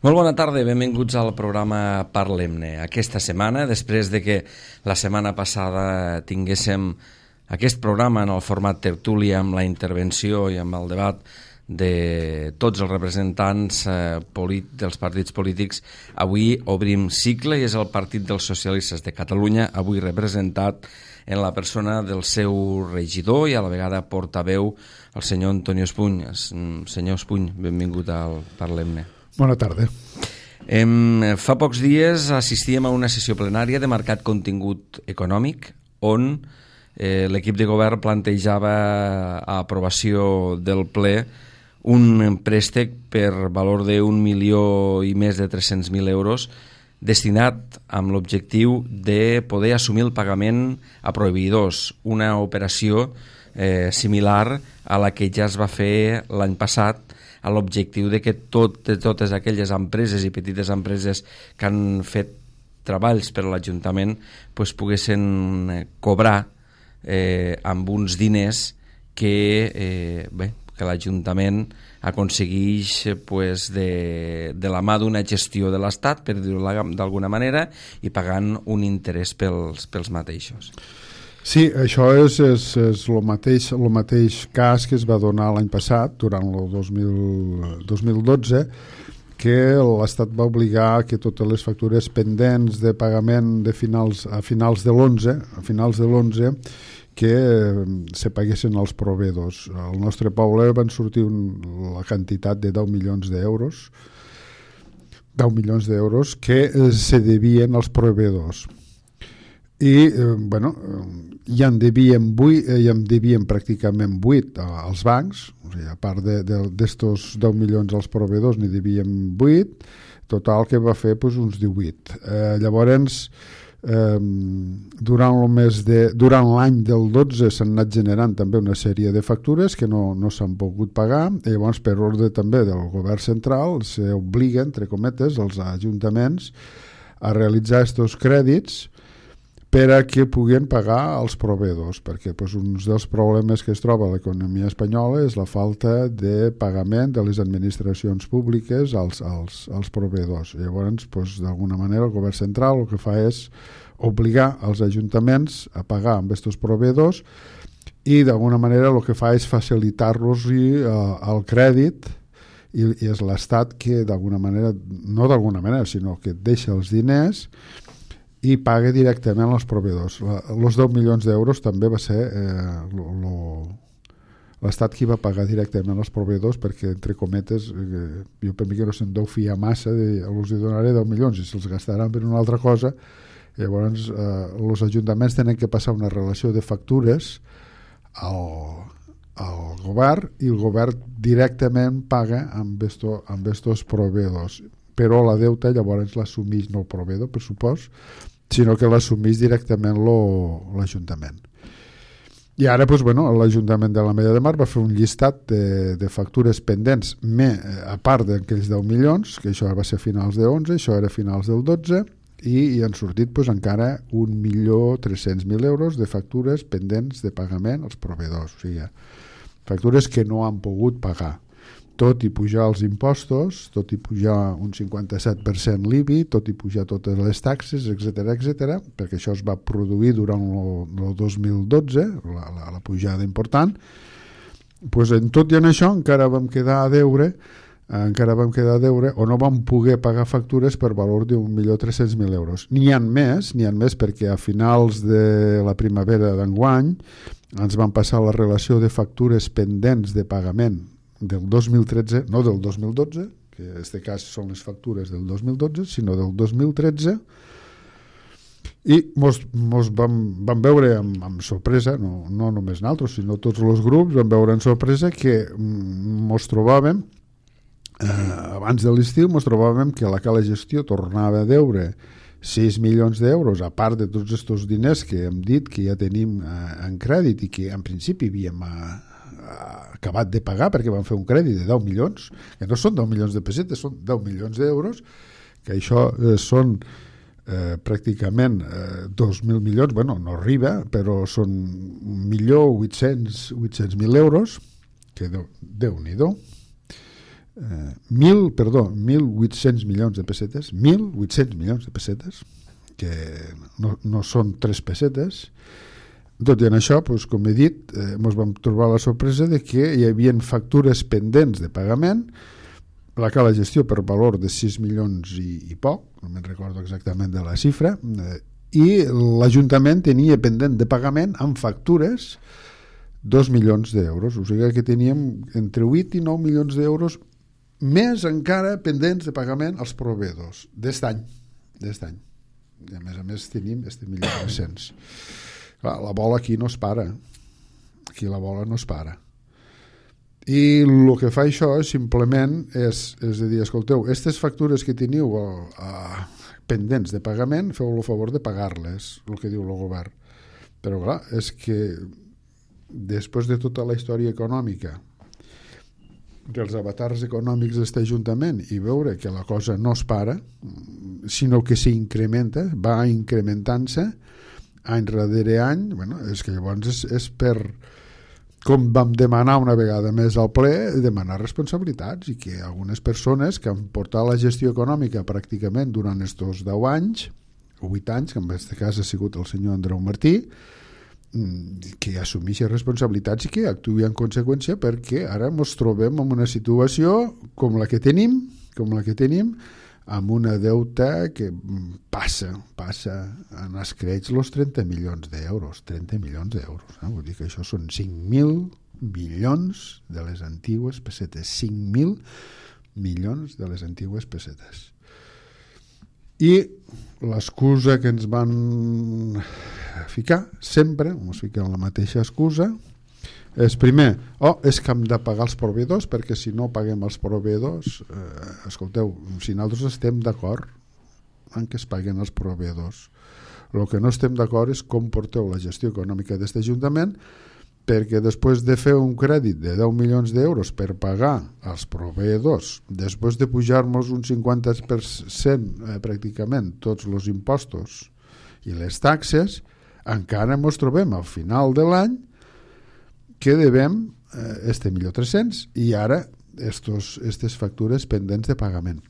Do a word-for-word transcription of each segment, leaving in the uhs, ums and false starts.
Molt bona tarda, benvinguts al programa Parlem-ne. Aquesta setmana, després de que la setmana passada tinguéssim aquest programa en el format tertúlia amb la intervenció i amb el debat de tots els representants eh, dels partits polítics, avui obrim cicle i és el Partit dels Socialistes de Catalunya, avui representat en la persona del seu regidor i a la vegada portaveu, el senyor Antonio Espuny. Senyor Espuny, benvingut al Parlem-ne. Bona tarda. Em, fa pocs dies assistíem a una sessió plenària de marcat contingut econòmic on eh, l'equip de govern plantejava a aprovació del ple un préstec per valor d'un milió i més de tres-cents mil euros destinat amb l'objectiu de poder assumir el pagament a proveïdors, una operació eh, similar a la que ja es va fer l'any passat, a l'objectiu de que tot, totes aquelles empreses i petites empreses que han fet treballs per a l'Ajuntament pues, poguessin cobrar eh, amb uns diners que, eh, bé, que l'Ajuntament aconsegueix pues, de, de la mà d'una gestió de l'Estat, per dir-ho d'alguna manera, i pagant un interès pels, pels mateixos. Sí, això és, és, és el, mateix, el mateix cas que es va donar l'any passat, durant el dos mil dotze, que l'Estat va obligar que totes les factures pendents de pagament de finals, a finals de l'onze, a finals de l'onze, que se paguessin als proveïdors. Al nostre poble van sortir un, la quantitat de deu milions d'euros, deu milions d'euros que se devien als proveïdors. I, eh, bueno, ja en devien vuit, eh, ja en devien pràcticament vuit als bancs, o sigui, a part d'estos deu milions als proveïdors n'hi devien vuit, total que va fer pues, uns divuit. Eh, llavors, eh, durant el mes de, durant l'any del dotze s'han anat generant també una sèrie de factures que no, no s'han pogut pagar, i llavors per ordre també del govern central s'obliga, entre cometes, els ajuntaments a realitzar estos crèdits per a que puguin pagar els proveïdors, perquè pues, un dels problemes que es troba a l'economia espanyola és la falta de pagament de les administracions públiques als, als, als proveïdors. Llavors, pues, d'alguna manera, el govern central el que fa és obligar els ajuntaments a pagar amb aquests proveïdors i d'alguna manera el que fa és facilitar-los uh, el crèdit i, i és l'Estat que d'alguna manera, no d'alguna manera, sinó que deixa els diners i paga directament als proveïdors. Els deu milions d'euros també va ser eh, l'Estat qui va pagar directament als proveïdors perquè, entre cometes, eh, jo per mi que no se'n deu fiar massa, de, els donaré deu milions i se'ls gastaran per una altra cosa. Llavors, eh, els ajuntaments tenen que passar una relació de factures al, al govern i el govern directament paga amb estos, amb estos proveïdors. Però la deuta llavors l'assumeix no el proveïdor, per supòs, sinó que l'assumeix directament l'Ajuntament. I ara, doncs, bueno, l'Ajuntament de l'Ametlla de Mar va fer un llistat de, de factures pendents, me, a part d'aquells deu milions, que això va ser a finals de onze, això era a finals del dotze, i hi han sortit doncs, encara un milió tres-cents mil euros de factures pendents de pagament als proveïdors. O sigui, factures que no han pogut pagar. Tot i pujar els impostos, tot i pujar un cinquanta-set per cent l'I B I, tot i pujar totes les taxes, etcètera, etcètera, perquè això es va produir durant el dos mil dotze, la, la, la pujada important, pues en tot i en això encara vam quedar a deure, encara vam quedar a deure, o no vam poder pagar factures per valor d'un milió tres-cents mil euros. N'hi ha més, n'hi ha més perquè a finals de la primavera d'enguany ens van passar la relació de factures pendents de pagament del dos mil tretze, no del dos mil dotze, que en aquest cas són les factures del dos mil dotze, sinó del dos mil tretze, i mos, mos vam, vam veure amb, amb sorpresa, no, no només nosaltres, sinó tots els grups, vam veure amb sorpresa que mos trobàvem, eh, abans de l'estiu, mos trobàvem que la Cala Gestió tornava a deure sis milions d'euros, a part de tots aquests diners que hem dit que ja tenim eh, en crèdit i que en principi havíem eh, acabat de pagar perquè van fer un crèdit de deu milions, que no són deu milions de pessetes, són deu milions d'euros, que això eh, són eh, pràcticament eh, dos mil milions, bueno, no arriba, però són un milió vuit-cents mil euros, que Déu-n'hi-do. eh, mil, perdó, mil vuit-cents milions de pessetes, mil vuit-cents milions de pessetes, que no, no són tres pessetes. Tot i en això, doncs, com he dit, eh, ens vam trobar la sorpresa de que hi havia factures pendents de pagament, la cala gestió per valor de sis milions i, i poc, no me'n recordo exactament de la xifra, eh, i l'Ajuntament tenia pendent de pagament amb factures dos milions d'euros, o sigui que teníem entre vuit i nou milions d'euros més encara pendents de pagament als proveïdors d'est any, d'est any. I a més a més tenim este milió tres-cents. Clar, la bola aquí no es para, aquí la bola no es para. I el que fa això simplement és, és a dir, escolteu, aquestes factures que teniu a, pendents de pagament, feu el favor de pagar-les, el que diu el govern. Però clar, és que després de tota la història econòmica, dels avatars econòmics d'aquest Ajuntament, i veure que la cosa no es para, sinó que s'incrementa, va incrementant-se any darrere any, bueno, és que llavors és, és per, com vam demanar una vegada més al ple, demanar responsabilitats, i que algunes persones que han portat la gestió econòmica pràcticament durant estos deu anys, o vuit anys, que en aquest cas ha sigut el senyor Andreu Martí, que assumeixi responsabilitats i que actuï en conseqüència, perquè ara ens trobem en una situació com la que tenim, com la que tenim, amb una deuta que passa, passa en escreix els trenta milions d'euros, trenta milions d'euros, eh? Vull dir que això són cinc mil milions de les antigues pessetes, cinc mil milions de les antigues pessetes. I l'excusa que ens van ficar, sempre, ens fiquen la mateixa excusa, és primer, oh, és que hem de pagar els proveïdors, perquè si no paguem els proveïdors, eh, escolteu, si nosaltres estem d'acord en que es paguen els proveïdors, el que no estem d'acord és com porteu la gestió econòmica d'aquest Ajuntament, perquè després de fer un crèdit de deu milions d'euros per pagar als proveïdors, després de pujar-nos un cinquanta per cent eh, pràcticament tots els impostos i les taxes, encara ens trobem al final de l'any que devem eh, este milió tres-cents i ara estos, estes factures pendents de pagament.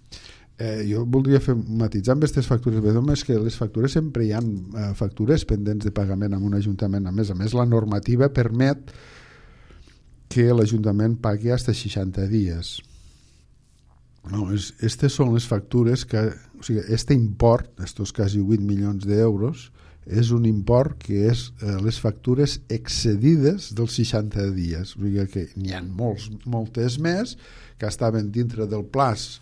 Eh, jo voldria fer matitzar amb aquestes factures, però és que les factures sempre hi ha eh, factures pendents de pagament en un ajuntament. A més a més, la normativa permet que l'Ajuntament pagui fins a seixanta dies. No, és, estes són les factures que, o sigui, este import, estos quasi vuit milions d'euros, és un import que és eh, les factures excedides dels seixanta dies. O sigui que n'hi ha molts, moltes més que estaven dintre del plaç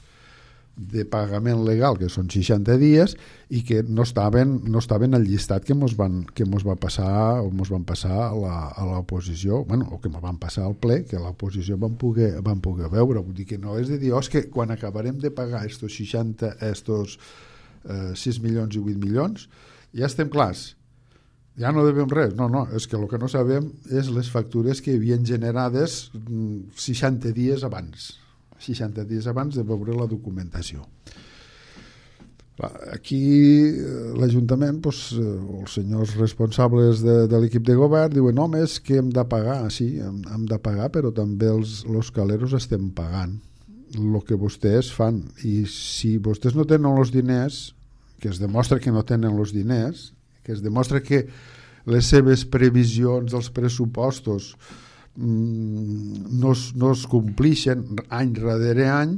de pagament legal, que són seixanta dies, i que no estaven, no estaven al llistat que mos van, que mos va passar o mos van passar a la, a l'oposició, bueno, o que mos van passar al ple, que l'oposició van poder, van poder veure. Vull dir que no és de dir, oh, és que quan acabarem de pagar estos seixanta, estos eh, sis milions i vuit milions, ja estem clars, ja no devem res. No, no, és que el que no sabem és les factures que havien generades seixanta dies abans, seixanta dies abans de veure la documentació. Aquí l'Ajuntament, doncs, els senyors responsables de, de l'equip de govern diuen, no, és que hem de pagar, sí, hem, hem de pagar, però també els, els caleros estem pagant el que vostès fan, i si vostès no tenen els diners, que es demostra que no tenen els diners, que es demostra que les seves previsions dels pressupostos mmm, no, es, no es complixen any darrere any,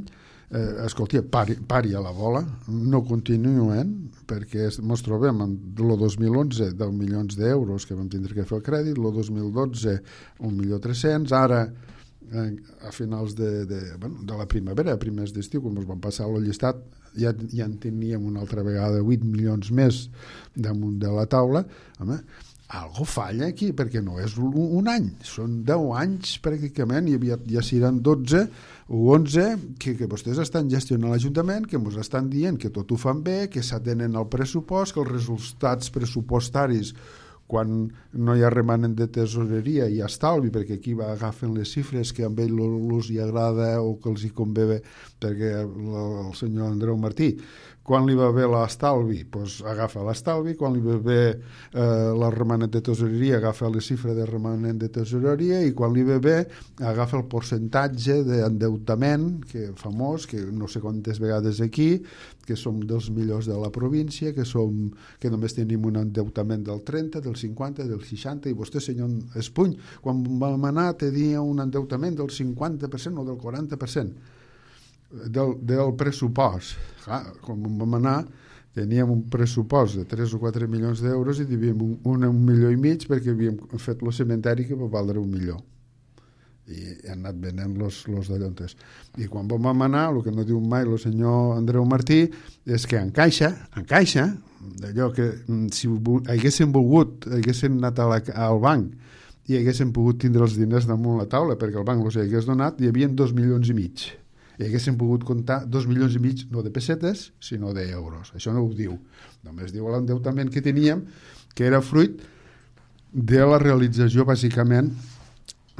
eh, escolti, pari, pari a la bola, no continuen, perquè ens trobem en el dos mil onze deu milions d'euros que vam tindre que fer el crèdit, el dos mil dotze un milió tres-cents, ara a finals de, de, bueno, de la primavera, a primers d'estiu, quan ens van passar el llistat, ja, ja en teníem una altra vegada vuit milions més damunt de la taula. Home, algo falla aquí, perquè no és un, un any, són deu anys pràcticament, i ja, ja seran dotze o onze que, que vostès estan gestionant l'Ajuntament, que ens estan dient que tot ho fan bé, que s'atenen al pressupost, que els resultats pressupostaris quan no hi ha remanent de tesoreria i estalvi, perquè aquí va agafen les xifres que a ell els hi agrada o que els hi convé, perquè el senyor Andreu Martí Quan li va bé l'estalvi, doncs agafa l'estalvi. Quan li va bé eh, la remanent de tesoreria, agafa la xifra de remanent de tesoreria, i quan li va bé, agafa el percentatge d'endeutament, que famós, que no sé quantes vegades aquí, que som dels millors de la província, que, som, que només tenim un endeutament del trenta, del cinquanta, del seixanta, i vostè, senyor Espuny, quan vam anar tenia un endeutament del cinquanta per cent o del quaranta per cent. Del, del pressupost. Clar, quan vam anar teníem un pressupost de tres o quatre milions d'euros i devíem un, un, un milió i mig perquè havíem fet el cementeri que va valdre un milió i han anat venent los, los dallontes. I quan vam anar, el que no diu mai el senyor Andreu Martí és que en caixa, en caixa d'allò que si haguéssim volgut haguéssim anat a la, al banc i haguéssim pogut tindre els diners damunt la taula perquè el banc els hagués donat, hi havia dos milions i mig i haguéssim pogut comptar dos milions i mig no de pessetes, sinó d'euros. Això no ho diu. Només diu l'endeutament que teníem, que era fruit de la realització, bàsicament,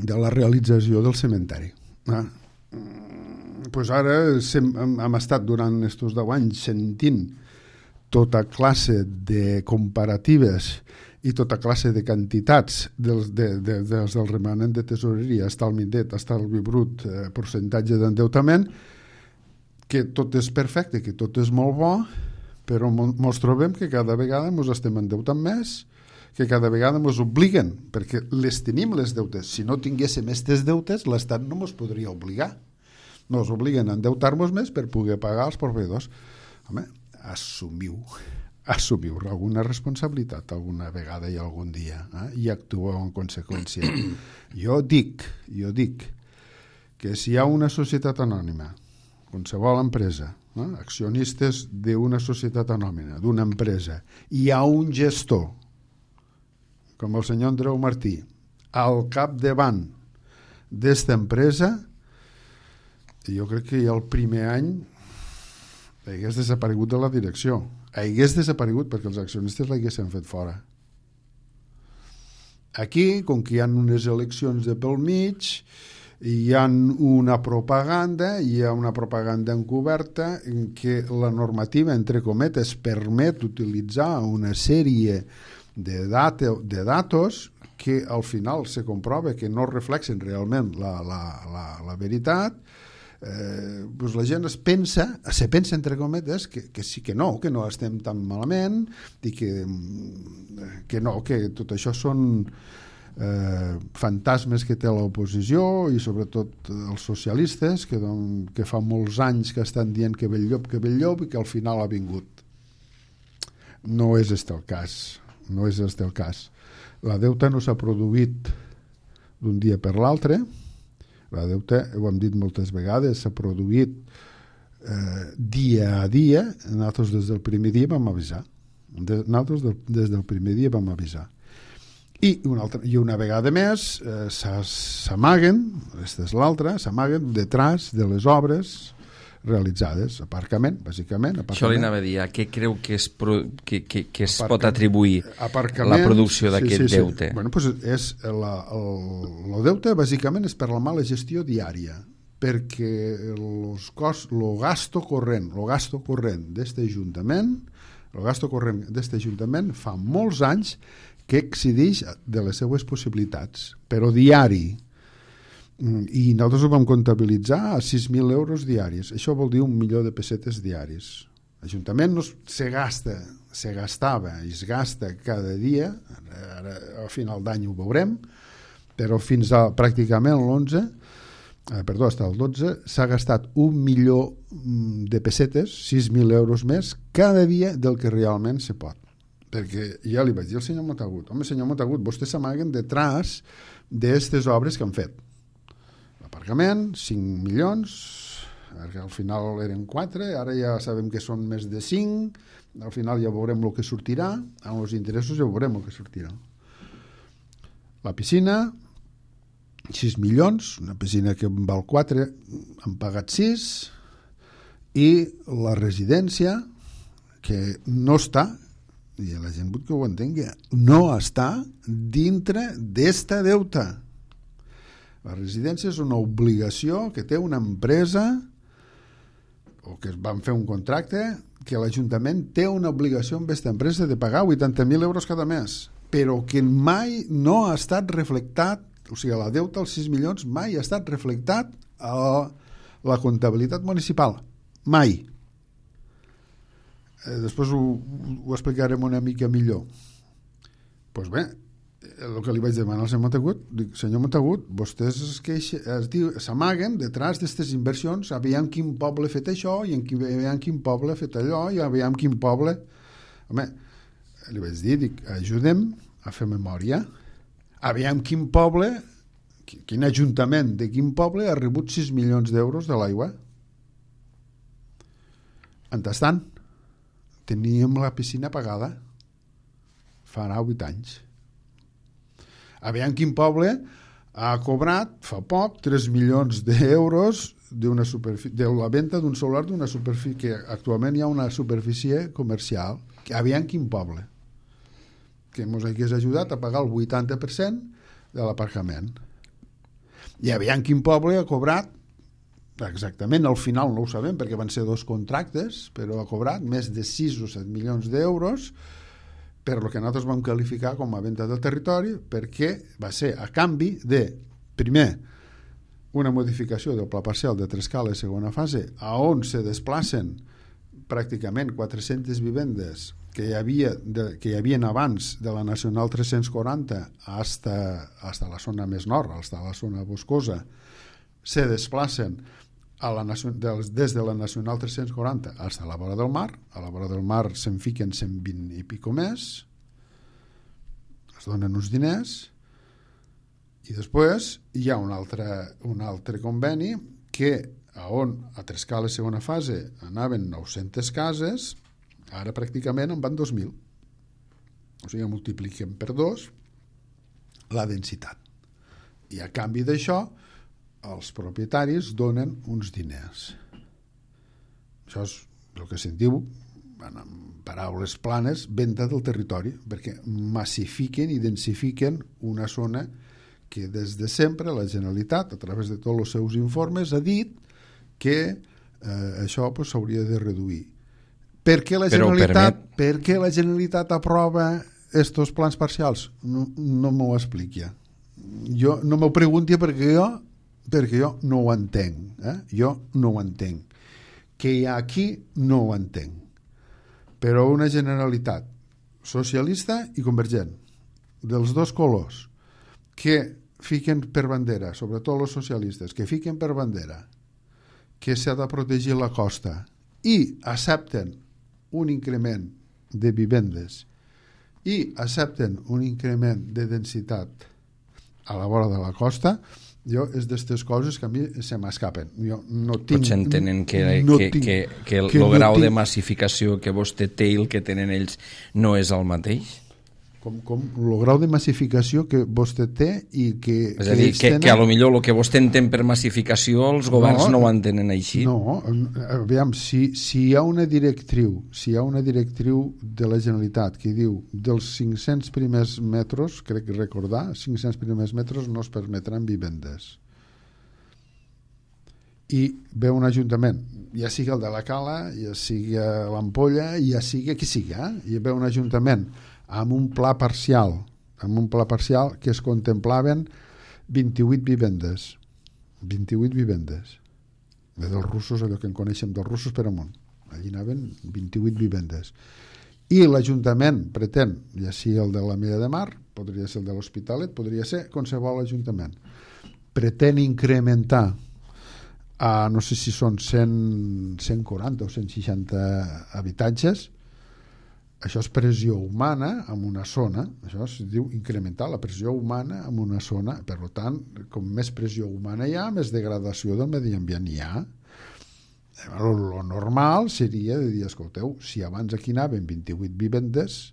de la realització del cementeri. Ah. Pues ara sem, hem, hem estat durant aquests deu anys sentint tota classe de comparatives i tota classe de quantitats dels, de, de, dels del remanent de tesoreria, estalvi net, estalvi brut, eh, percentatge d'endeutament, que tot és perfecte, que tot és molt bo, però ens trobem que cada vegada ens estem endeutant més, que cada vegada ens obliguen, perquè les tenim les deutes. Si no tinguéssim aquestes deutes, l'Estat no ens podria obligar. Ens obliguen a endeutar-nos més per poder pagar els proveïdors. Home, assumiu assumiu alguna responsabilitat alguna vegada i algun dia, eh? I actueu en conseqüència. Jo dic, jo dic que si hi ha una societat anònima, qualsevol empresa, eh? accionistes d'una societat anònima, d'una empresa, hi ha un gestor, com el senyor Andreu Martí, al capdavant d'esta empresa, jo crec que ja el primer any hagués desaparegut de la direcció. Hagués desaparegut perquè els accionistes l'haguessin fet fora. Aquí, com que hi ha unes eleccions de pel mig, hi ha una propaganda, hi ha una propaganda encoberta en què la normativa, entre cometes, permet utilitzar una sèrie de, data, de datos que al final se comprova que no reflexen realment la, la, la, la veritat. Eh, doncs la gent es pensa, se pensa entre cometes que, que sí que no, que no estem tan malament i que, que no, que tot això són eh, fantasmes que té l'oposició i sobretot els socialistes que, don, que fa molts anys que estan dient que ve el llop, que ve el llop i que al final ha vingut. No és este el cas, no és este el cas. La deuta no s'ha produït d'un dia per l'altre. La deuta, ho hem dit moltes vegades, s'ha produït eh, dia a dia. Nosaltres des del primer dia vam avisar. De, nosaltres del, des del primer dia vam avisar. I una, altra, i una vegada més eh, s'amaguen, aquesta és l'altra, s'amaguen detrás de les obres realitzades, aparcament, bàsicament. Aparcament. Això li anava a dir, a què creu que es, pro, que, que, que es pot atribuir aparcament, la producció d'aquest sí, sí, sí. deute? Bueno, pues és la, el, el deute bàsicament és per la mala gestió diària, perquè los cost, lo gasto corrent, lo gasto corrent d'este Ajuntament, el gasto corrent d'este Ajuntament fa molts anys que exceedeix de les seues possibilitats, però diari. I nosaltres ho vam comptabilitzar a sis mil euros diaris. Això vol dir un milió de pessetes diaris. L'Ajuntament no se gasta, se gastava i es gasta cada dia, ara a final d'any ho veurem, però fins a pràcticament l'onze, eh, perdó, fins al dotze, s'ha gastat un milió de pessetes, sis mil euros més, cada dia del que realment se pot. Perquè ja li vaig dir al senyor Montagut, home, senyor Montagut, vostès s'amaguen detrás d'aquestes obres que han fet. L'aparcament, cinc milions, al final eren quatre, ara ja sabem que són més de cinc, al final ja veurem el que sortirà, amb els interessos ja veurem el que sortirà. La piscina, sis milions, una piscina que en val quatre, han pagat sis, i la residència, que no està, i la gent vull que ho entengui, no està dintre d'esta deuta. La residència és una obligació que té una empresa o que van fer un contracte que l'Ajuntament té una obligació amb aquesta empresa de pagar vuitanta mil euros cada mes, però que mai no ha estat reflectat, o sigui, la deuta als sis milions mai ha estat reflectat a la comptabilitat municipal. Mai. Eh, després ho, ho explicarem una mica millor. Doncs pues bé, el que li vaig demanar al senyor Montagut, dic, senyor Montagut, vostès es queixa, es diu, s'amaguen detrás d'aquestes inversions, aviam quin poble ha fet això, i en quin, aviam quin poble ha fet allò, i aviam quin poble... Home, li vaig dir, dic, ajudem a fer memòria, aviam quin poble, quin ajuntament de quin poble ha rebut sis milions d'euros de l'aigua. Mentrestant, teníem la piscina pagada farà vuit anys. Aviam quin poble ha cobrat fa poc tres milions d'euros d'una superfície, de la venda d'un solar d'una superfície, que actualment hi ha una superfície comercial. Aviam quin poble que ens hagués ajudat a pagar el vuitanta per cent de l'aparcament. I aviam quin poble ha cobrat, exactament al final no ho sabem perquè van ser dos contractes, però ha cobrat més de sis o set milions d'euros per lo que nosaltres vam qualificar com a venda del territori, perquè va ser a canvi de, primer, una modificació del pla parcial de Trescala segona fase, a on se desplacen pràcticament quatre-centes vivendes que hi havia de, que hi havien abans de la Nacional tres-cents quaranta hasta, hasta la zona més nord, hasta la zona boscosa, se desplacen a la, des de la Nacional tres-cents quaranta fins a la vora del mar. A la vora del mar se'n fiquen cent vint i pico més, es donen uns diners, i després hi ha un altre, un altre conveni que a on a Trescala segona fase anaven nou-centes cases, ara pràcticament en van dos mil. O sigui, multipliquem per dos la densitat. I a canvi d'això els propietaris donen uns diners. Això és el que se'n diu, en paraules planes, venda del territori, perquè massifiquen i densifiquen una zona que des de sempre la Generalitat, a través de tots els seus informes, ha dit que eh, això pues, s'hauria de reduir. Per què la Generalitat, permet... per què la Generalitat aprova estos plans parcials? No, no m'ho expliqui. Jo, no m'ho pregunti perquè jo perquè jo no ho entenc. Eh? Jo no ho entenc. Que hi ha aquí no ho entenc. Però una Generalitat socialista i convergent, dels dos colors, que fiquen per bandera, sobretot els socialistes, que fiquen per bandera que s'ha de protegir la costa i accepten un increment de vivendes i accepten un increment de densitat a la vora de la costa, jo és d'aquestes coses que a mi se m'escapen. Jo no tinc... Potser entenen que, no que, tinc, que, que el que no grau tinc... de massificació que vostè té i el que tenen ells no és el mateix? Com, com el grau de massificació que vostè té i que... És a dir, que, tenen... que a lo millor el que vostè entén per massificació els governs no, no ho entenen així. No, aviam, si, si hi ha una directriu, si hi ha una directriu de la Generalitat que diu dels cinc-cents primers metres, crec que recordar, cinc-cents primers metres no es permetran vivendes. I ve un ajuntament, ja sigui el de la Cala, ja sigui l'Ampolla, ja sigui qui sigui, eh? I ve un ajuntament amb un pla parcial, amb un pla parcial que es contemplaven vint-i-vuit vivendes. vint-i-vuit vivendes. De dels russos, allò que en coneixem dels russos per amunt. Allí anaven vint-i-vuit vivendes. I l'Ajuntament pretén, ja sigui el de la Milla de Mar, podria ser el de l'Hospitalet, podria ser qualsevol ajuntament, pretén incrementar a, no sé si són cent, cent quaranta o cent seixanta habitatges. Això és pressió humana en una zona, això es diu incrementar la pressió humana en una zona, per tant, com més pressió humana hi ha, més degradació del medi ambient hi ha. El normal seria de dir, escolteu, si abans aquí anaven vint-i-vuit vivendes,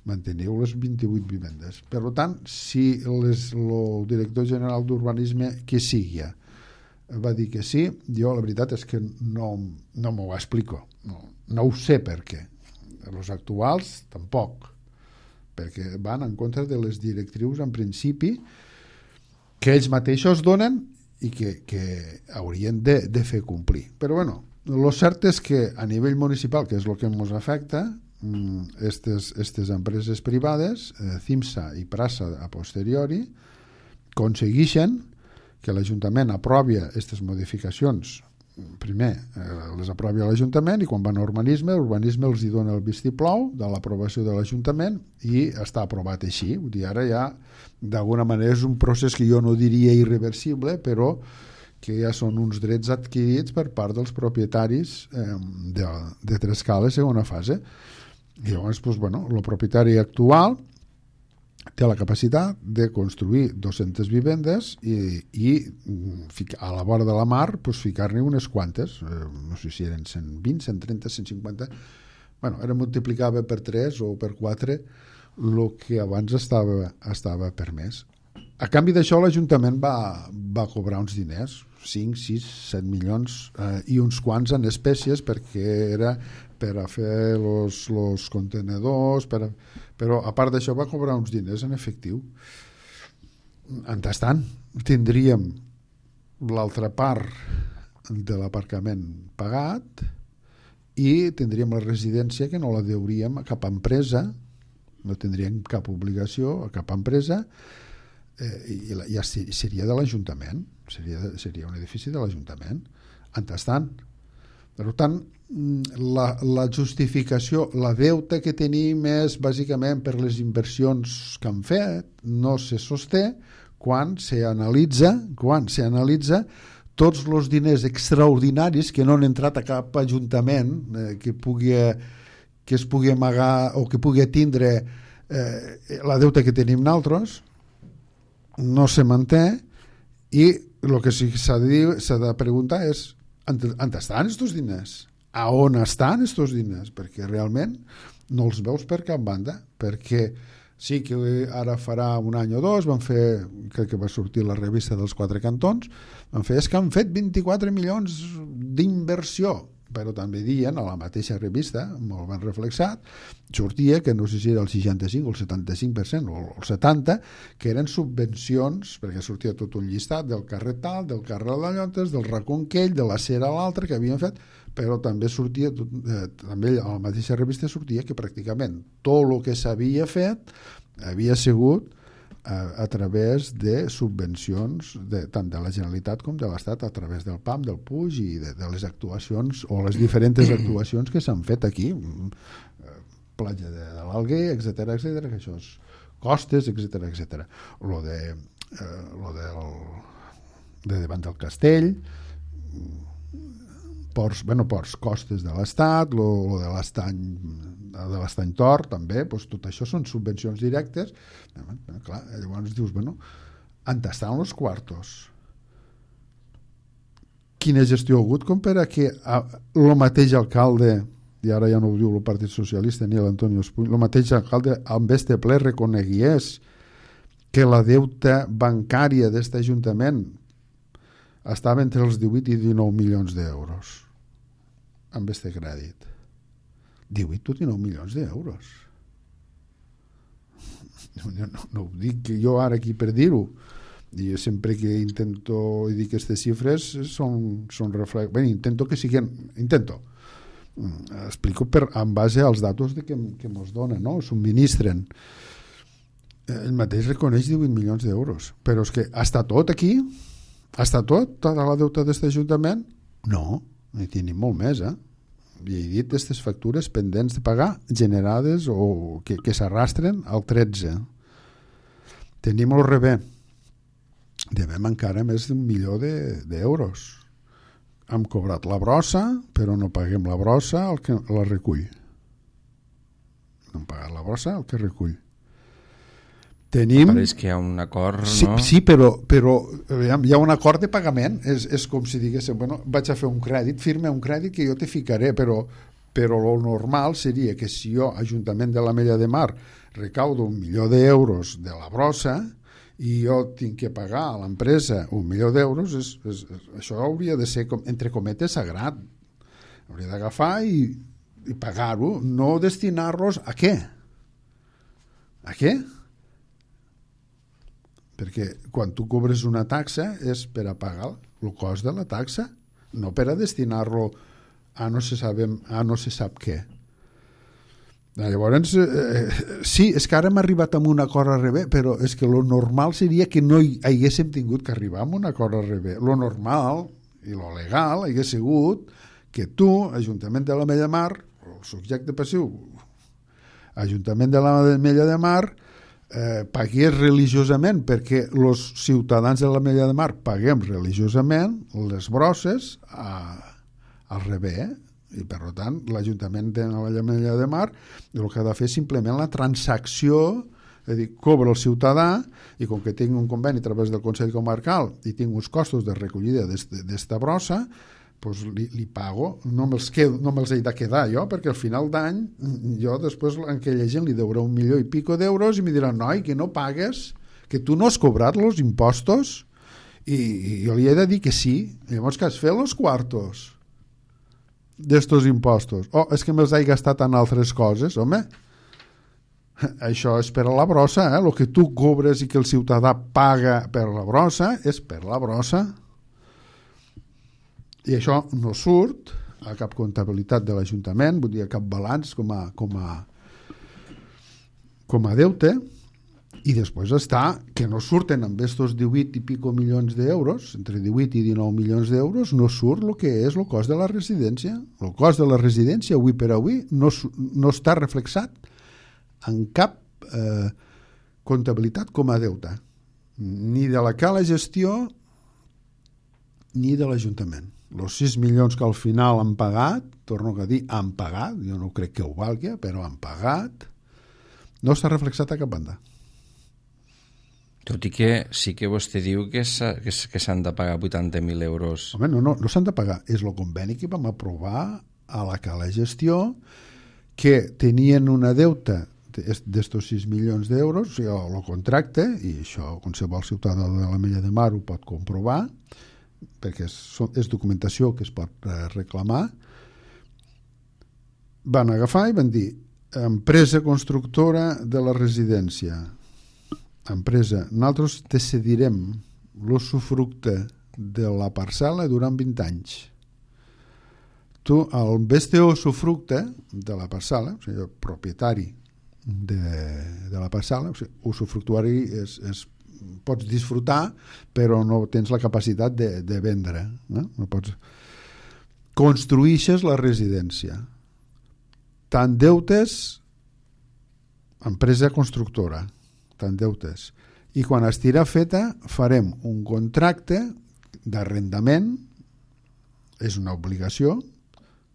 manteniu les vint-i-vuit vivendes. Per tant, si les, el director general d'urbanisme que sigui va dir que sí, jo la veritat és que no, no m'ho explico, no, no ho sé per què. Els actuals tampoc, perquè van en contra de les directrius en principi que ells mateixos donen i que, que haurien de, de fer complir. Però bueno, Lo cert és que a nivell municipal, que és el que ens afecta, aquestes estes empreses privades, eh, CIMSA i Prasa a posteriori, aconsegueixen que l'Ajuntament aprovi aquestes modificacions. Primer eh, les aprovi l'Ajuntament i quan van a urbanisme, l'urbanisme els hi dona el vistiplau de l'aprovació de l'Ajuntament i està aprovat així. Vull dir, ara ja d'alguna manera és un procés que jo no diria irreversible, però que ja són uns drets adquirits per part dels propietaris eh, de, de Trescala segona fase. I llavors, doncs, bueno, el propietari actual té la capacitat de construir dues-centes vivendes i, i a la vora de la mar pues, ficar-ne unes quantes, eh, no sé si eren cent vint, cent trenta, cent cinquanta, bueno, era multiplicava per tres o per quatre el que abans estava, estava permès. A canvi d'això l'Ajuntament va, va cobrar uns diners, cinc, sis, set milions eh, i uns quants en espècies perquè era per a fer els contenedors, per a, però a part d'això va cobrar uns diners en efectiu. Mentrestant, tindríem l'altra part de l'aparcament pagat i tindríem la residència que no la deuríem a cap empresa, no tindríem cap obligació a cap empresa, eh, i la, ja seria de l'Ajuntament, seria, seria un edifici de l'Ajuntament. Mentrestant, per tant, la, la justificació, la deuta que tenim és bàsicament per les inversions que han fet, no se sosté quan s'analitza quan s'analitza tots els diners extraordinaris que no han entrat a cap ajuntament eh, que pugui que es pugui amagar o que pugui tindre eh, la deuta que tenim nosaltres, no se manté i el que sí s'ha de dir, s'ha de preguntar és on estan aquests diners? A on estan aquests diners? Perquè realment no els veus per cap banda, perquè sí que ara farà un any o dos van fer, crec que va sortir la revista dels Quatre Cantons, van fer, és que han fet vint-i-quatre milions d'inversió, però també diuen a la mateixa revista, molt ben reflexat, sortia que no sé si era el seixanta-cinc o el setanta-cinc per cent o el setanta per cent, que eren subvencions, perquè sortia tot un llistat del carrer tal, del carrer de Llontes, del Reconquell, de la Cera a l'altre que havien fet, però també sortia, eh, també a la mateixa revista sortia que pràcticament tot el que s'havia fet havia sigut a, a través de subvencions de, tant de la Generalitat com de l'Estat a través del P A M, del Puig i de, de les actuacions o les diferents actuacions que s'han fet aquí, platja de, de l'Alguer, etcètera, etcètera, que això és costes, etcètera, etcètera. Lo de eh, lo del de davant del castell, ports, bueno, ports costes de l'Estat, lo, lo de l'estany de l'estany Tor també, doncs tot això són subvencions directes. Clar, llavors dius, bueno, on estan els quartos? Quina gestió ha hagut com per a que el mateix alcalde, i ara ja no ho diu el Partit Socialista ni l'Antonio Espuny, el mateix alcalde amb este ple reconegués que la deuta bancària d'aquest Ajuntament estava entre els divuit i dinou milions d'euros amb este crèdit. divuit o dinou milions d'euros. No, no, no ho dic que jo ara aquí per dir-ho. I sempre que intento dir aquestes xifres són, són reflex... Bé, intento que siguin... Intento. Explico per, en base als datos de que, que ens donen, no? Subministren. El mateix reconeix divuit milions d'euros. Però és que està tot aquí? Està tot? Tota la deuta d'aquest Ajuntament? No, n'hi tenim molt més, eh? I he dit aquestes factures pendents de pagar generades o que, que s'arrastren al tretze. Tenim el rebé. Devem encara més d'un milió d'euros. Hem cobrat la brossa, però no paguem la brossa al que la recull. No hem pagat la brossa al que recull. Tenim... Pareix que hi ha un acord, sí, no? Sí, però, però hi ha un acord de pagament. És, és com si diguéssim, bueno, vaig a fer un crèdit, firma un crèdit que jo te ficaré, però, però el normal seria que si jo, Ajuntament de l'Ametlla de Mar, recaudo un milió d'euros de la brossa i jo tinc que pagar a l'empresa un milió d'euros, és, és, és, això hauria de ser, com, entre cometes, sagrat. Hauria d'agafar i, i pagar-ho, no destinar-los a què? A què? Perquè quan tu cobres una taxa és per a pagar el cost de la taxa, no per a destinar-lo a no se, sabem, a no se sap què. Llavors, eh, sí, és que ara hem arribat a un acord a rebé, però és que lo normal seria que no hi haguéssim tingut que arribar a un acord a rebé. Lo normal i lo legal hagués sigut que tu, Ajuntament de l'Ametlla de Mar, el subjecte passiu, Ajuntament de l'Ametlla de Mar, eh, pagués religiosament, perquè els ciutadans de l'Ametlla de Mar paguem religiosament les brosses a, al rebé, eh? I per tant l'Ajuntament de l'Ametlla de Mar el que ha de fer és simplement la transacció, és a dir, cobra el ciutadà i com que tinc un conveni a través del Consell Comarcal i tinc uns costos de recollida d'esta brossa, doncs li, li pago, no me'ls, quedo, no me'ls he de quedar jo, perquè al final d'any jo després a aquella gent li deuré un milió i pico d'euros i mi diran, noi, que no pagues, que tu no has cobrat els impostos, i, i jo li he de dir que sí. Llavors que has fet els quartos d'estos impostos? Oh, és que me'ls he gastat en altres coses, home. Això és per a la brossa, eh? El que tu cobres i que el ciutadà paga per la brossa és per la brossa. I això no surt a cap comptabilitat de l'Ajuntament, vull dir, a cap balanç com a, com a, com a deute. I després està que no surten amb estos divuit i pico milions d'euros, entre divuit i dinou milions d'euros, no surt el que és el cost de la residència. El cost de la residència, avui per avui, no, no està reflexat en cap eh, comptabilitat com a deute, ni de la cala gestió ni de l'Ajuntament. Els sis milions que al final han pagat, torno a dir, han pagat, jo no crec que ho valgui, però han pagat, no està reflexat a cap banda. Tot i que sí que vostè diu que s'han de pagar vuitanta mil euros. Home, no, no, no s'han de pagar. És el conveni que vam aprovar a la cala gestió, que tenien una deuta d'estos sis milions d'euros, o sigui, el contracte, i això qualsevol ciutadà de l'Ametlla de Mar ho pot comprovar, perquè és, és documentació que es pot reclamar, van agafar i van dir empresa constructora de la residència, empresa, nosaltres te cedirem l'usufructe de la parcel·la durant vint anys. Tu, el beste usufructe de la parcel·la, o sigui, el propietari de, de la parcel·la, o sigui, usufructuari és, és, pots disfrutar, però no tens la capacitat de, de vendre. No? No pots... Construïixes la residència. Tant deutes, empresa constructora, tant deutes. I quan estirà feta farem un contracte d'arrendament, és una obligació,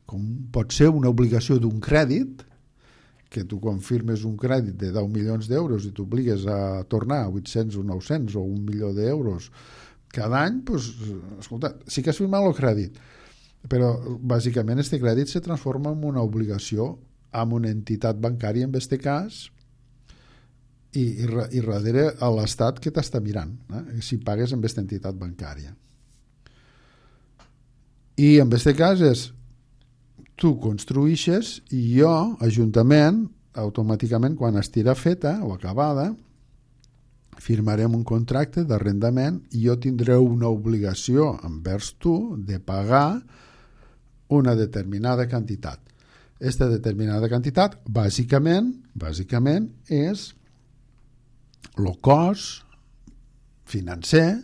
com pot ser una obligació d'un crèdit, que tu quan firmes un crèdit de deu milions d'euros i t'obligues a tornar a vuit-cents o nou-cents o un milió d'euros cada any, doncs, escolta, sí que has firmat el crèdit, però bàsicament este crèdit se transforma en una obligació amb una entitat bancària, en aquest cas, i, i, i darrere a l'Estat que t'està mirant, eh? Si pagues amb aquesta entitat bancària. I en aquest cas és tu construïixes i jo, Ajuntament, automàticament quan estirà feta o acabada, firmarem un contracte d'arrendament i jo tindré una obligació envers tu de pagar una determinada quantitat. Aquesta determinada quantitat, bàsicament, bàsicament és el cost financer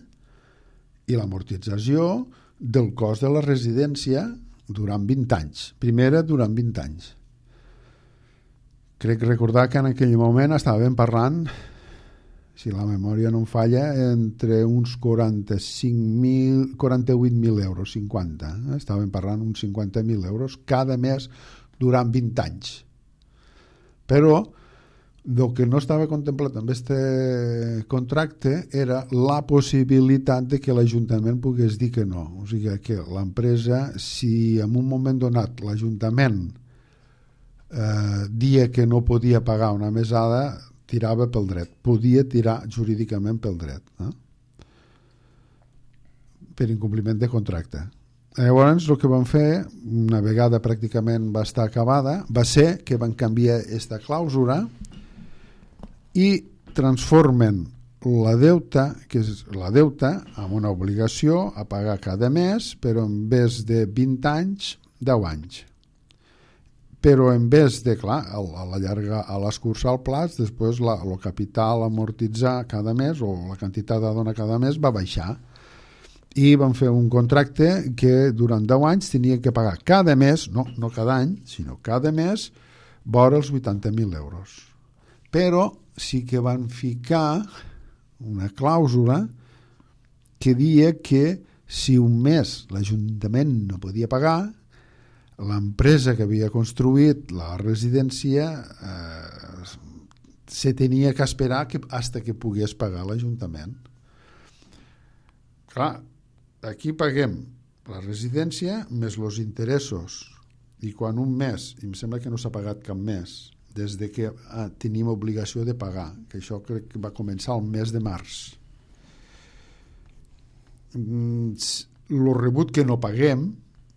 i l'amortització del cost de la residència durant vint anys. Primera, durant vint anys. Crec recordar que en aquell moment estàvem parlant, si la memòria no em falla, entre uns quaranta-cinc mil, quaranta-vuit mil euros, cinquanta. Eh? Estàvem parlant uns cinquanta mil euros cada mes durant vint anys. Però el que no estava contemplat amb aquest contracte era la possibilitat de que l'Ajuntament pogués dir que no. O sigui que l'empresa, si en un moment donat l'Ajuntament eh, dia que no podia pagar una mesada, tirava pel dret. Podia tirar jurídicament pel dret. Eh? Per incompliment de contracte. Llavors el que van fer, una vegada pràcticament va estar acabada, va ser que van canviar aquesta clàusula i transformen la deuta, que és la deuta, amb una obligació a pagar cada mes, però en vez de vint anys deu anys. Però en vez de, clar, a la llarga, a l'escurçar el plaç, després la, el capital a amortitzar cada mes o la quantitat a donar cada mes va baixar. I van fer un contracte que durant deu anys tenien que pagar cada mes, no, no cada any, sinó cada mes, vora els vuitanta mil euros. Però sí que van ficar una clàusula que dia que si un mes l'Ajuntament no podia pagar, l'empresa que havia construït la residència eh, se tenia que esperar que, hasta que pogués pagar l'Ajuntament. Clar, aquí paguem la residència més els interessos, i quan un mes, i em sembla que no s'ha pagat cap mes, des de que ah, tenim obligació de pagar, que això crec que va començar el mes de març. El rebut que no paguem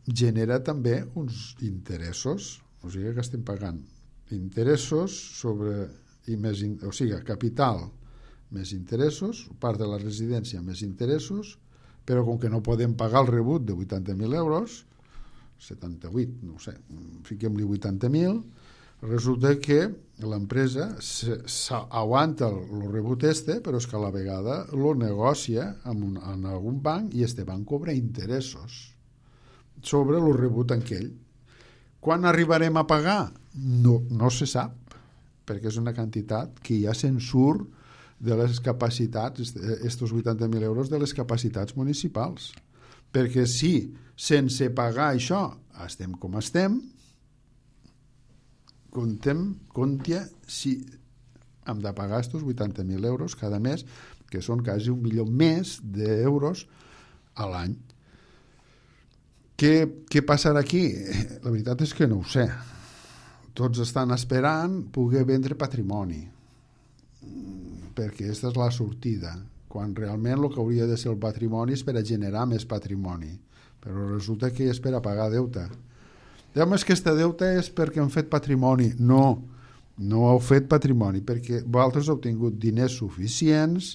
genera també uns interessos, o sigui que estem pagant interessos sobre, i més, o sigui, capital més interessos, part de la residència més interessos, però com que no podem pagar el rebut de vuitanta mil euros, setanta-vuit, no sé, fiquem-li vuitanta mil, resulta que l'empresa aguanta el rebut este, però és que a la vegada lo negocia amb un, en algun banc i este banc cobra interessos sobre el rebut aquell. Quan arribarem a pagar? No, no se sap, perquè és una quantitat que ja se'n surt de les capacitats, estos vuitanta mil euros de les capacitats municipals. Perquè si sense pagar això estem com estem, contem, compte si hem de pagar estos vuitanta mil euros cada mes, que són quasi un milió més d'euros a l'any. Què, què passarà aquí? La veritat és que no ho sé. Tots estan esperant poder vendre patrimoni, perquè aquesta és la sortida, quan realment el que hauria de ser el patrimoni és per a generar més patrimoni, però resulta que és per a pagar deute. Diguem, és que este deute és perquè han fet patrimoni. No, no heu fet patrimoni, perquè vosaltres heu tingut diners suficients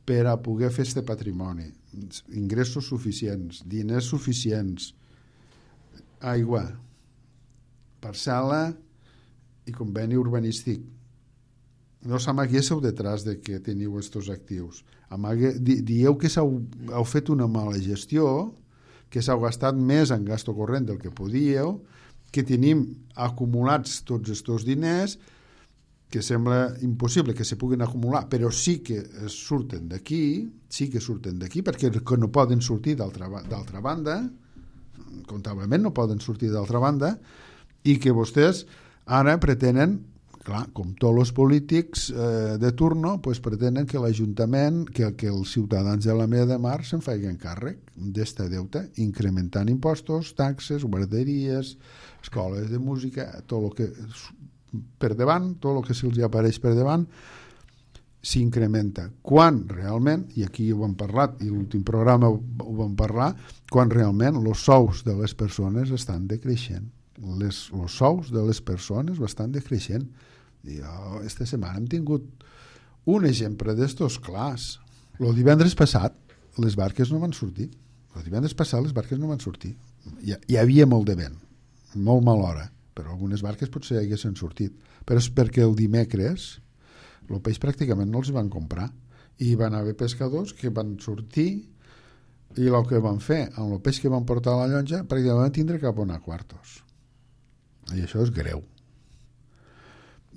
per a poder fer este patrimoni, ingressos suficients, diners suficients, aigua, parcel·la i conveni urbanístic. No s'amaguéssiu detrás de que teniu estos actius. Amague, di, dieu que heu, heu fet una mala gestió, que s'heu gastat més en gasto corrent del que podíeu, que tenim acumulats tots estos diners, que sembla impossible que se puguin acumular, però sí que surten d'aquí, sí que surten d'aquí, perquè no poden sortir d'altra, d'altra banda, comptablement no poden sortir d'altra banda, i que vostès ara pretenen, clar, com tots els polítics eh, de turno, pues pretenen que l'Ajuntament, que, que els ciutadans de la Mella de Mar se'n facin càrrec d'este deute, incrementant impostos, taxes, guarderies, escoles de música, tot el que per davant, tot el que se'ls apareix per davant, s'incrementa. Quan realment, i aquí ho hem parlat, i l'últim programa ho vam parlar, quan realment els sous de les persones estan decreixent. Les, els sous de les persones estan decreixent. I jo, esta setmana hem tingut un exemple d'estos clars. El divendres passat les barques no van sortir. El divendres passat les barques no van sortir. Hi, hi havia molt de vent, molt mala hora, però algunes barques potser haguessin sortit. Però és perquè el dimecres el peix pràcticament no els van comprar i van haver pescadors que van sortir i el que van fer amb el peix que van portar a la llonja pràcticament van tindre cap a anar a quartos, i això és greu.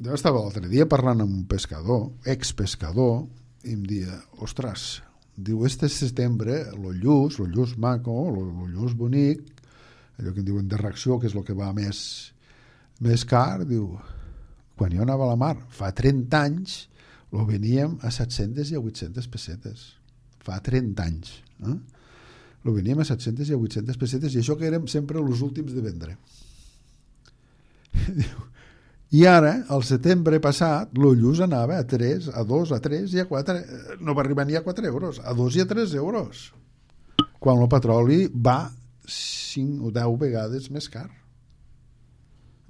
Jo estava l'altre dia parlant amb un pescador, expescador, i em dia, ostres, diu, este setembre el lluç, el lluç maco, el lluç bonic, allò que en diuen de reacció, que és el que va més més car, diu, quan jo anava a la mar fa trenta anys lo veníem a set-centes i a vuit-centes pessetes, fa trenta anys, eh? Lo veníem a set-centes i a vuit-centes pessetes, i això que érem sempre els últims de vendre. I ara, al setembre passat, lo lluç anava a tres, a dos, a tres i a quatre, no va arribar ni a quatre euros, a dos i a tres euros, quan el petroli va cinc o deu vegades més car.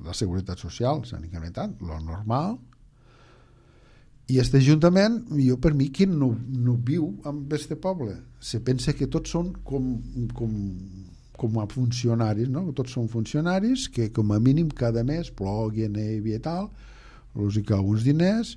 La seguretat social s'han incrementat, lo normal, i este ajuntament, jo per mi, qui no, no viu amb este poble? Se pensa que tots són com, com, com a funcionaris, no? Tots són funcionaris que com a mínim cada mes plogui, nevi i tal, els hi cau uns diners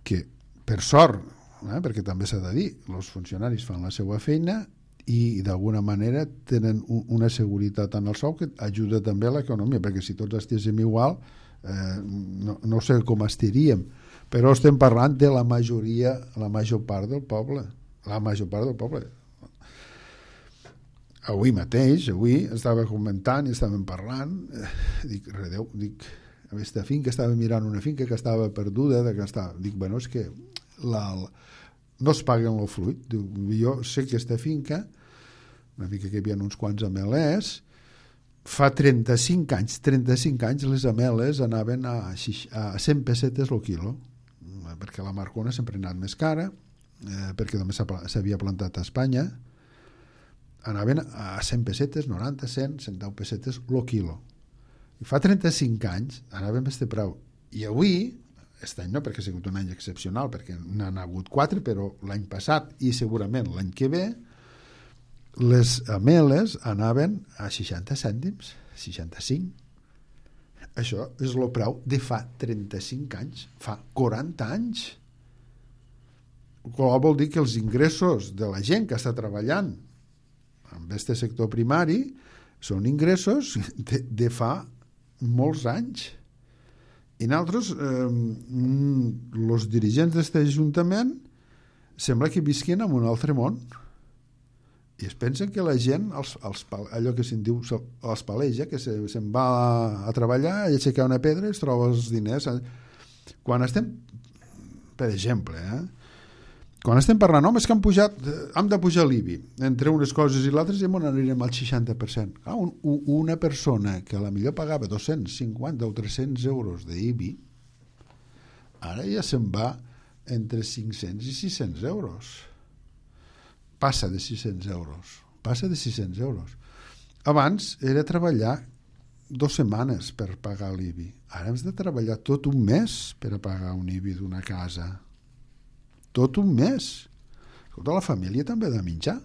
que, per sort, eh, perquè també s'ha de dir, els funcionaris fan la seva feina i d'alguna manera tenen un, una seguretat en el sou que ajuda també a l'economia, perquè si tots estiguéssim igual eh, no, no sé com estaríem, però estem parlant de la majoria, la major part del poble, la major part del poble. Avui mateix, avui estava comentant i estàvem parlant, eh, dic, redeu, dic, aquesta finca, estava mirant una finca que estava perduda, de que estava, dic, bueno, és que la, la, no es paguen el fruit. Diu, jo sé que aquesta finca, una finca que hi havia uns quants amelers, fa trenta-cinc anys, trenta-cinc anys les ameles anaven a, a cent pessetes el quilo, perquè la marcona sempre ha anat més cara, eh, perquè també s'havia plantat a Espanya, anaven a cent pessetes, noranta, cent, cent deu pessetes el quilo. I fa trenta-cinc anys anaven a este preu. I avui, aquest any no, perquè ha sigut un any excepcional, perquè n'han hagut quatre, però l'any passat i segurament l'any que ve, les ameles anaven a seixanta cèntims, seixanta-cinc. Això és el preu de fa trenta-cinc anys, fa quaranta anys. Qual vol dir que els ingressos de la gent que està treballant en aquest sector primari són ingressos de, de fa molts anys. I nosaltres, eh, els dirigents d'aquest ajuntament sembla que visquin en un altre món i es pensen que la gent els, els, allò que se'n diu els paleja, que se, se'n va a treballar i aixecar una pedra i es troba els diners. Quan estem, per exemple, eh, quan estem parlant, home, és que han pujat, hem de pujar l'I B I, entre unes coses i l'altres ja anirem al seixanta per cent. Ah, un, una persona que a la millor pagava dos-cents cinquanta o tres-cents euros d'I B I, ara ja se'n va entre cinc-cents i sis-cents euros. Passa de sis-cents euros. Passa de sis-cents euros. Abans era treballar dues setmanes per pagar l'I B I. Ara hem de treballar tot un mes per a pagar un I B I d'una casa. Tot un mes. Escolta, la família també ha de menjar.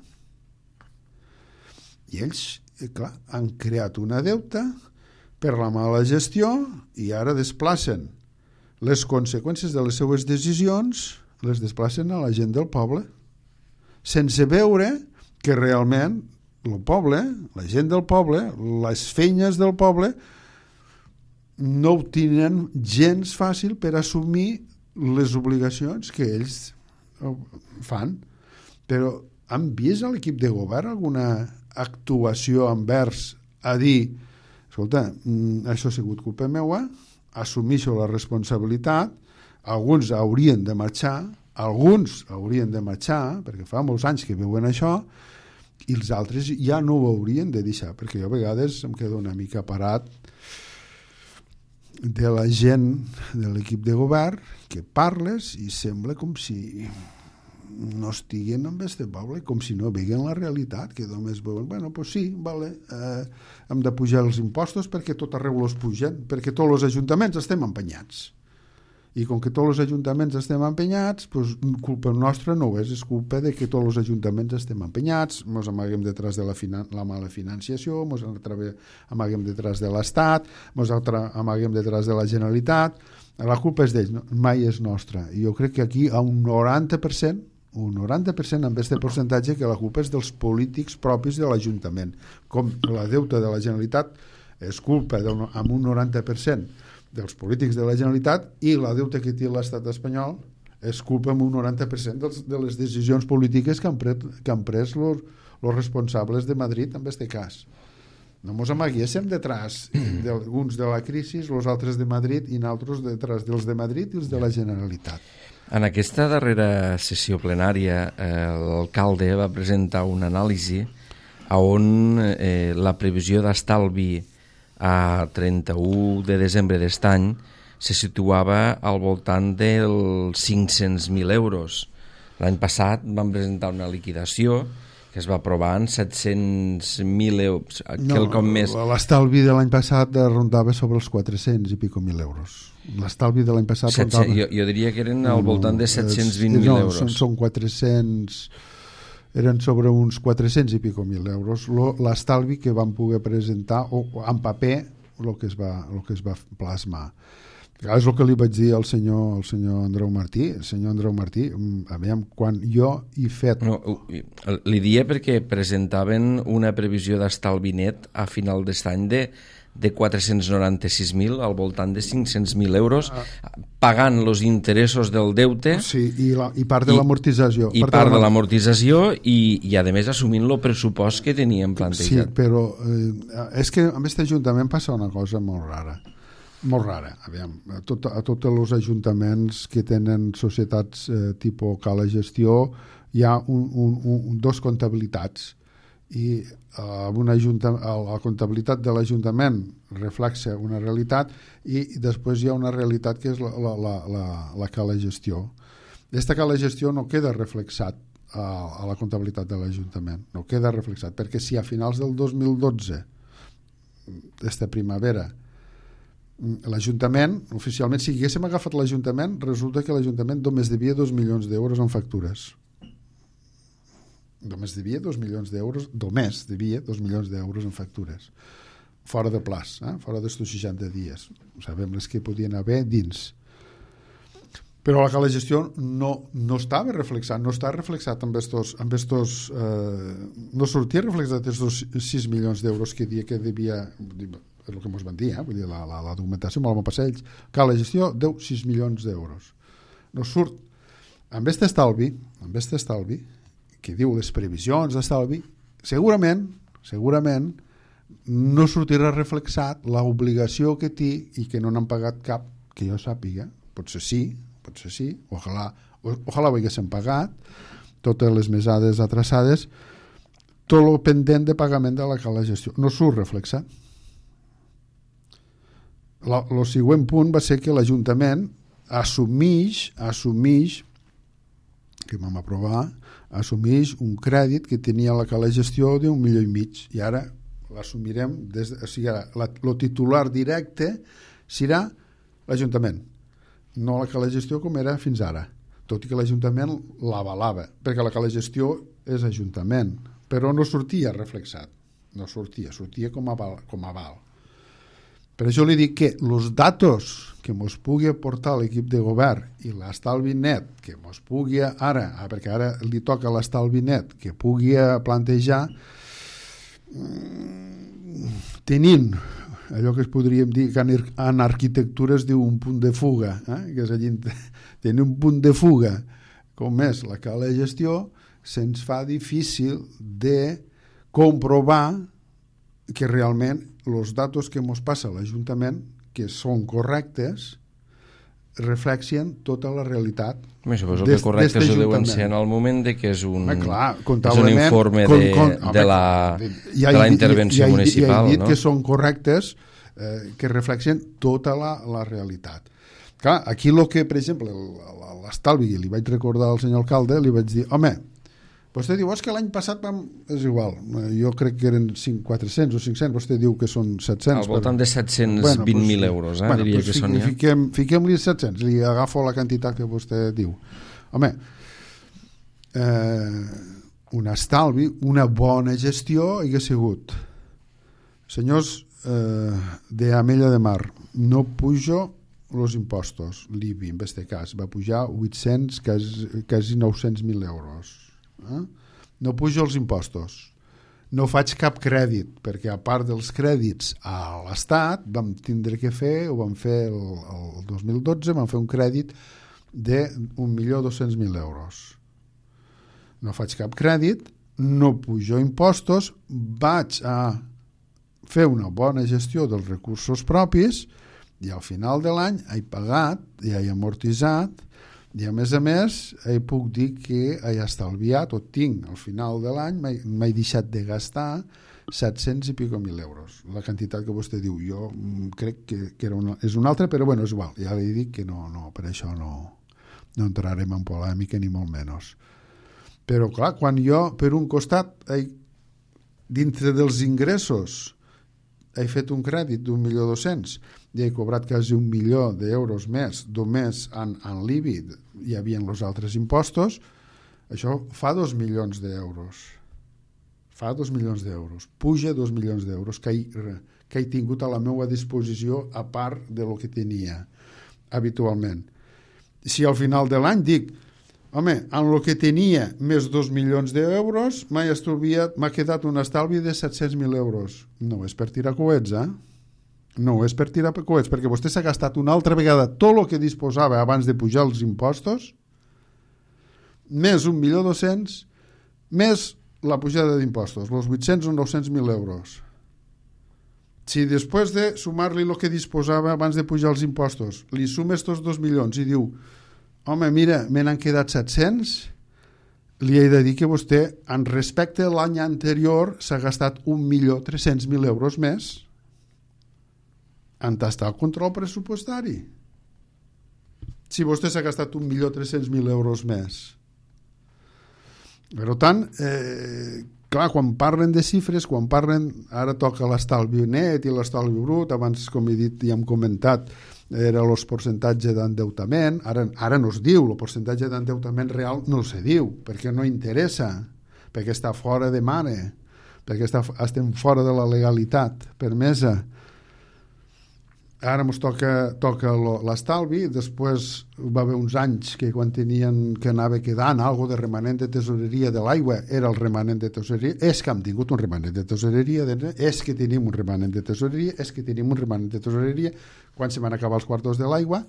I ells, clar, han creat una deuta per la mala gestió i ara desplacen les conseqüències de les seues decisions, les desplacen a la gent del poble, sense veure que realment el poble, la gent del poble, les feines del poble, no ho tenen gens fàcil per assumir les obligacions que ells fan. Però han vist a l'equip de govern alguna actuació envers a dir, escolta, això ha sigut culpa meva, assumeixo la responsabilitat, alguns haurien de marxar, alguns haurien de marxar, perquè fa molts anys que veuen això, i els altres ja no ho haurien de deixar, perquè jo a vegades em quedo una mica parat de la gent de l'equip de govern que parles i sembla com si no estiguen en este poble, com si no veguen la realitat, que només veuen, bueno, pues sí, vale, eh, hem de pujar els impostos perquè tot arreu els pugen, perquè tots els ajuntaments estem empenyats. I com que tots els ajuntaments estem empenyats, pues, culpa nostra no és, és culpa de que tots els ajuntaments estem empenyats, ens amaguem detrás de la, finan la mala financiació, ens amaguem detrás de l'Estat, ens amaguem detrás de la Generalitat, la culpa és d'ells, no? Mai és nostra. I jo crec que aquí a un noranta per cent, un noranta per cent amb aquest percentatge que la culpa és dels polítics propis de l'Ajuntament. Com la deuta de la Generalitat és culpa amb un noranta per cent dels polítics de la Generalitat i la deuta que té l'estat espanyol és culpa amb un noranta per cent dels, de les decisions polítiques que han pres, que han pres los, los responsables de Madrid en aquest cas. No ens amaguéssim detrás d'alguns de la crisi, els altres de Madrid i nosaltres detrás dels de Madrid i els de la Generalitat. En aquesta darrera sessió plenària eh, l'alcalde va presentar una anàlisi on eh, la previsió d'estalvi a trenta-u de desembre d'aquest any se situava al voltant dels cinc-cents mil euros. L'any passat van presentar una liquidació que es va aprovar en set-cents mil euros. No, més... l'estalvi de l'any passat rondava sobre els quatre-cents i pico mil euros. L'estalvi de l'any passat rondava... Jo, jo diria que eren al voltant de set-cents vint mil no, euros. Són, són quatre-cents... eren sobre uns quatre-cents i pico mil euros l'estalvi que van poder presentar o, o en paper el que es va, el que es va plasmar. És el que li vaig dir al senyor, al senyor Andreu Martí. El senyor Andreu Martí, a veure, quan jo he fet... No, li dia perquè presentaven una previsió d'estalvi net a final d'aquest any de, de quatre-cents noranta-sis mil, al voltant de cinc-cents mil euros, pagant els interessos del deute... Sí, i, la, i part de l'amortització. I part, part de l'amortització i, i, a més, assumint el pressupost que teníem plantejat. Sí, però eh, és que amb aquest ajuntament passa una cosa molt rara. Molt rara, aviam, a, tot, a tots els ajuntaments que tenen societats eh, tipus cala gestió hi ha un, un, un, dos comptabilitats i eh, una la comptabilitat de l'Ajuntament reflexa una realitat i després hi ha una realitat que és la, la, la, la, la cala gestió. Aquesta cala gestió no queda reflexat a, a la comptabilitat de l'Ajuntament, no queda reflexat, perquè si a finals del dos mil dotze, aquesta primavera, l'Ajuntament, oficialment, si haguéssim agafat l'Ajuntament, resulta que l'Ajuntament només devia dos milions d'euros en factures. Només devia dos milions d'euros, només devia dos milions d'euros en factures. Fora de plaç, eh? Fora d'estos seixanta dies. Sabem les que podien haver dins. Però la gestió no, no estava reflexat, no està reflexat amb estos, amb estos eh, no sortia reflexat estos sis milions d'euros que dia que devia... és el que ens van dir, eh? Vull dir, la, la, la documentació amb el passeig, que la gestió deu sis milions d'euros. No surt. Amb aquest estalvi, amb aquest estalvi, que diu les previsions d'estalvi, segurament, segurament, no sortirà reflexat l'obligació que té i que no n'han pagat cap, que jo sàpiga, potser sí, potser sí, ojalà, ojalà ho haguessin pagat, totes les mesades atrasades, tot el pendent de pagament de la cala gestió. No surt reflexat. El següent punt va ser que l'Ajuntament assumeix, assumeix que vam aprovar, assumeix un crèdit que tenia la cala gestió d'un milió i mig i ara l'assumirem des de, o sigui, el titular directe serà l'Ajuntament, no la cala gestió com era fins ara, tot i que l'Ajuntament l'avalava, perquè la cala gestió és Ajuntament, però no sortia reflexat, no sortia, sortia com a aval, com a aval. Per això li dic que els datos que ens pugui aportar l'equip de govern i l'estalvi net que ens pugui ara, perquè ara li toca l'estalvi net, que pugui plantejar tenint allò que es podríem dir que en arquitectura es diu un punt de fuga, eh? Que és allí, tenir un punt de fuga com és la cala de gestió, se'ns fa difícil de comprovar que realment els datos que ens passa a l'Ajuntament, que són correctes, reflexien tota la realitat. Me suposo que correctes ho deuen ser en el moment de que és un, ah, clar, és un informe con, de, con, de, la, de la intervenció ja, ja, municipal. Ja he dit no? que són correctes, eh, que reflexien tota la, la realitat. Clar, aquí el que, per exemple, l'estalvi, li vaig recordar al senyor alcalde, li vaig dir, home, vostè diu, és que l'any passat vam... és igual, jo crec que eren quatre-cents o cinc-cents, vostè diu que són set-cents. Al voltant però... de set-cents vint mil bueno, euros, eh? Bueno, diria pues que fiquem, són ja. Fiquem, fiquem-li set-cents, li agafo la quantitat que vostè diu. Home, eh, un estalvi, una bona gestió hagués sigut. Senyors eh, d'Amella de Mar, no pujo els impostos. L'I B I, en aquest cas, va pujar vuit-cents, quasi, quasi nou-cents mil euros. Eh? No pujo els impostos, no faig cap crèdit, perquè a part dels crèdits a l'Estat vam tindre que fer, ho vam fer el, el dos mil dotze, vam fer un crèdit d'un milió dos-cents mil euros. No faig cap crèdit, no pujo impostos, vaig a fer una bona gestió dels recursos propis i al final de l'any he pagat i he amortitzat i a més a més he puc dir que he estalviat o tinc al final de l'any m'he deixat de gastar set-cents i pico mil euros, la quantitat que vostè diu. Jo crec que, que era una, és una altra, però bueno, és igual, ja li dic que no, no per això no, no entrarem en polèmica ni molt menys. Però clar, quan jo per un costat he, dintre dels ingressos he fet un crèdit d'un milió dos-cents i he cobrat quasi un milió d'euros més només en, en l'I B I, hi havia els altres impostos, Això fa dos milions d'euros. Fa dos milions d'euros. Puja dos milions d'euros que he, que he tingut a la meva disposició a part de lo que tenia habitualment. Si al final de l'any dic, home, en el que tenia més dos milions d'euros m'ha estalviat, m'ha quedat un estalvi de set-cents mil euros. No és per tirar coets, eh? No és per tirar coets, perquè vostè s'ha gastat una altra vegada tot el que disposava abans de pujar els impostos, més un milió dos-cents, més la pujada d'impostos, els vuit-cents o nou-cents mil euros. Si després de sumar-li el que disposava abans de pujar els impostos, li sumes tots dos milions i diu, home, mira, me n'han quedat set-cents, li he de dir que vostè, en respecte a l'any anterior, s'ha gastat un milió tres-cents mil euros més en tastar el control pressupostari. Si vostè s'ha gastat un milió tres-cents mil euros més. Per tant, eh, clar, quan parlen de xifres, quan parlen, ara toca l'estalvi net i l'estalvi brut, abans, com he dit i hem comentat, era el percentatge d'endeutament, ara, ara no es diu, el percentatge d'endeutament real no se diu, perquè no interessa, perquè està fora de mare, perquè està, estem fora de la legalitat permesa. Ara ens toca, toca l'estalvi, després va haver uns anys que quan tenien que anava quedant algo de remanent de tesoreria de l'aigua, era el remanent de tesoreria, és que hem tingut un remanent de tesoreria, és que tenim un remanent de tesoreria, és que tenim un remanent de tesoreria, quan se van acabar els quartos de l'aigua,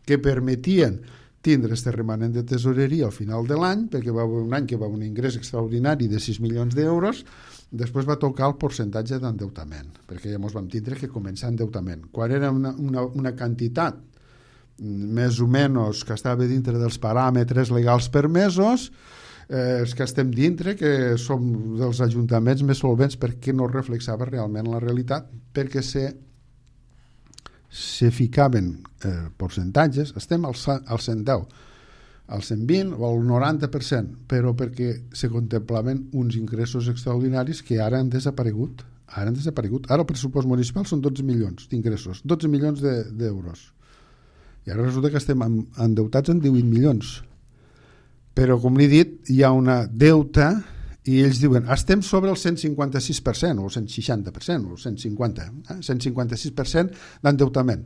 que permetien tindre este remanent de tesoreria al final de l'any, perquè va haver un any que va haver un ingrés extraordinari de sis milions d'euros, després va tocar el percentatge d'endeutament, perquè llavors vam tindre que començar endeutament. Quan era una, una, una quantitat més o menys que estava dintre dels paràmetres legals permesos, eh, els que estem dintre, que som dels ajuntaments més solvents perquè no reflexava realment la realitat, perquè se, se ficaven eh, percentatges, estem al, al cent deu, al cent vint o al noranta per cent, però perquè se contemplaven uns ingressos extraordinaris que ara han desaparegut. Ara han desaparegut. Ara el pressupost municipal són dotze milions d'ingressos, dotze milions d'euros. I ara resulta que estem endeutats en divuit milions. Però, com l'he dit, hi ha una deuta i ells diuen, estem sobre el cent cinquanta-sis per cent o el cent seixanta per cent o el cent cinquanta, eh? cent cinquanta-sis per cent d'endeutament.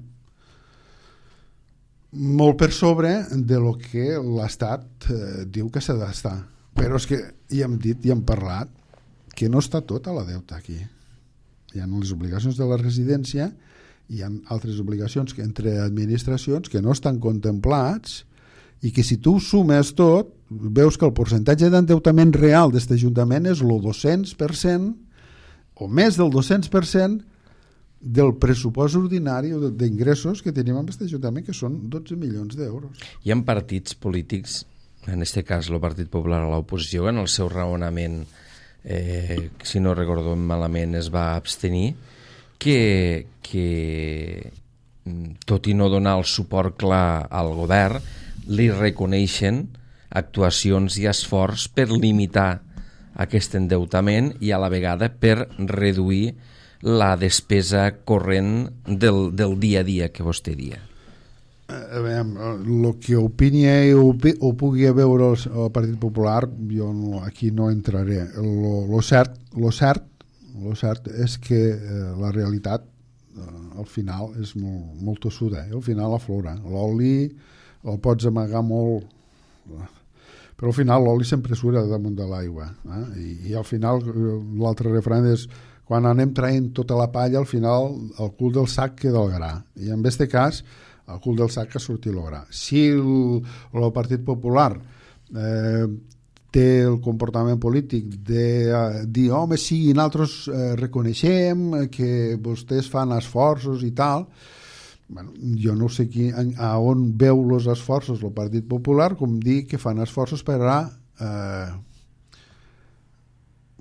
Molt per sobre de lo que l'Estat eh, diu que s'ha d'estar. Però és que ja hem dit i hem parlat que no està tota la deuta aquí. Hi ha les obligacions de la residència, hi ha altres obligacions que entre administracions que no estan contemplats i que si tu sumes tot, veus que el percentatge d'endeutament real d'aquest ajuntament és el dos-cents per cent o més del dos-cents per cent del pressupost ordinari o d'ingressos que tenim en aquest ajuntament, que són dotze milions d'euros. Hi ha partits polítics, en aquest cas el Partit Popular a l'oposició, en el seu raonament, eh, si no recordo malament, es va abstenir, que, que tot i no donar el suport clar al govern, li reconeixen actuacions i esforç per limitar aquest endeutament i a la vegada per reduir la despesa corrent del, del dia a dia que vostè dia. A veure, el que opini o, o pugui veure el, el Partit Popular, jo no, aquí no entraré. Lo cert, lo cert, lo cert és que eh, la realitat eh, al final és molt, molt tossuda, eh? Al final aflora. L'oli el pots amagar molt, però al final l'oli sempre surt damunt de l'aigua, eh? I, i al final l'altre refrany és quan anem traient tota la palla, al final el cul del sac queda el gra. I en aquest cas, el cul del sac que surti el gra. Si el, el Partit Popular eh, té el comportament polític de eh, dir, home, sí, nosaltres eh, reconeixem que vostès fan esforços i tal, bueno, jo no sé qui, a on veu els esforços el Partit Popular, com dir que fan esforços per a eh,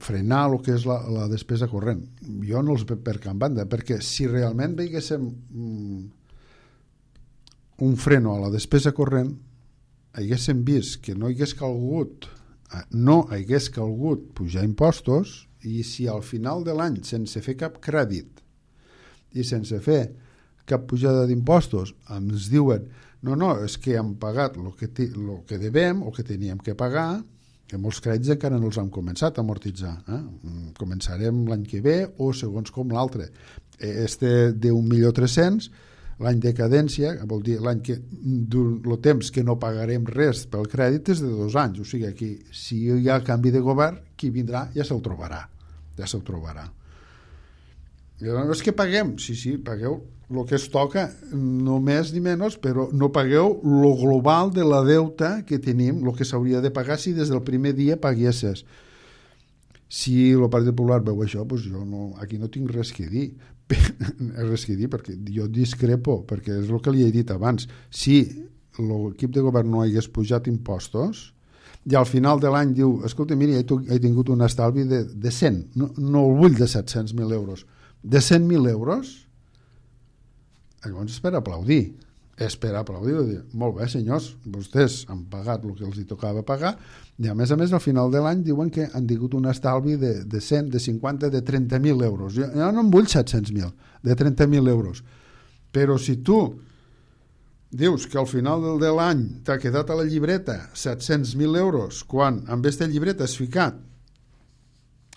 frenar el que és la, la despesa corrent. Jo no els veig per cap banda, perquè si realment veiéssim mm, un freno a la despesa corrent, haguéssim vist que no hagués calgut no hagués calgut pujar impostos, i si al final de l'any, sense fer cap crèdit i sense fer cap pujada d'impostos, ens diuen no, no, és que hem pagat el que, lo que devem o que teníem que pagar, que molts crèdits encara no els hem començat a amortitzar. Eh? Començarem l'any que ve o segons com l'altre. Este d'un milió tres-cents, l'any de cadència, vol dir l'any que, el temps que no pagarem res pel crèdit és de dos anys. O sigui, aquí, si hi ha canvi de govern, qui vindrà ja se'l trobarà. Ja se'l trobarà. I no és que paguem, sí, sí, pagueu el que es toca, no més ni menys, però no pagueu el global de la deuta que tenim, el que s'hauria de pagar si des del primer dia paguesses. Si el Partit Popular veu això, doncs jo no, aquí no tinc res que dir. res que dir, perquè jo discrepo, perquè és el que li he dit abans. Si l'equip de govern no hagués pujat impostos, i al final de l'any diu, escolta, mira, he tingut un estalvi de, de cent, no, no el vull de set-cents mil euros, de cent mil euros, llavors és per aplaudir, és per aplaudir, dir, molt bé senyors, vostès han pagat el que els hi tocava pagar, i a més a més al final de l'any diuen que han tingut un estalvi de, de cent, de cinquanta, de trenta mil euros. Jo, jo no en vull set-cents mil, de trenta mil euros. Però si tu dius que al final de l'any t'ha quedat a la llibreta set-cents mil euros, quan amb aquesta llibreta has ficat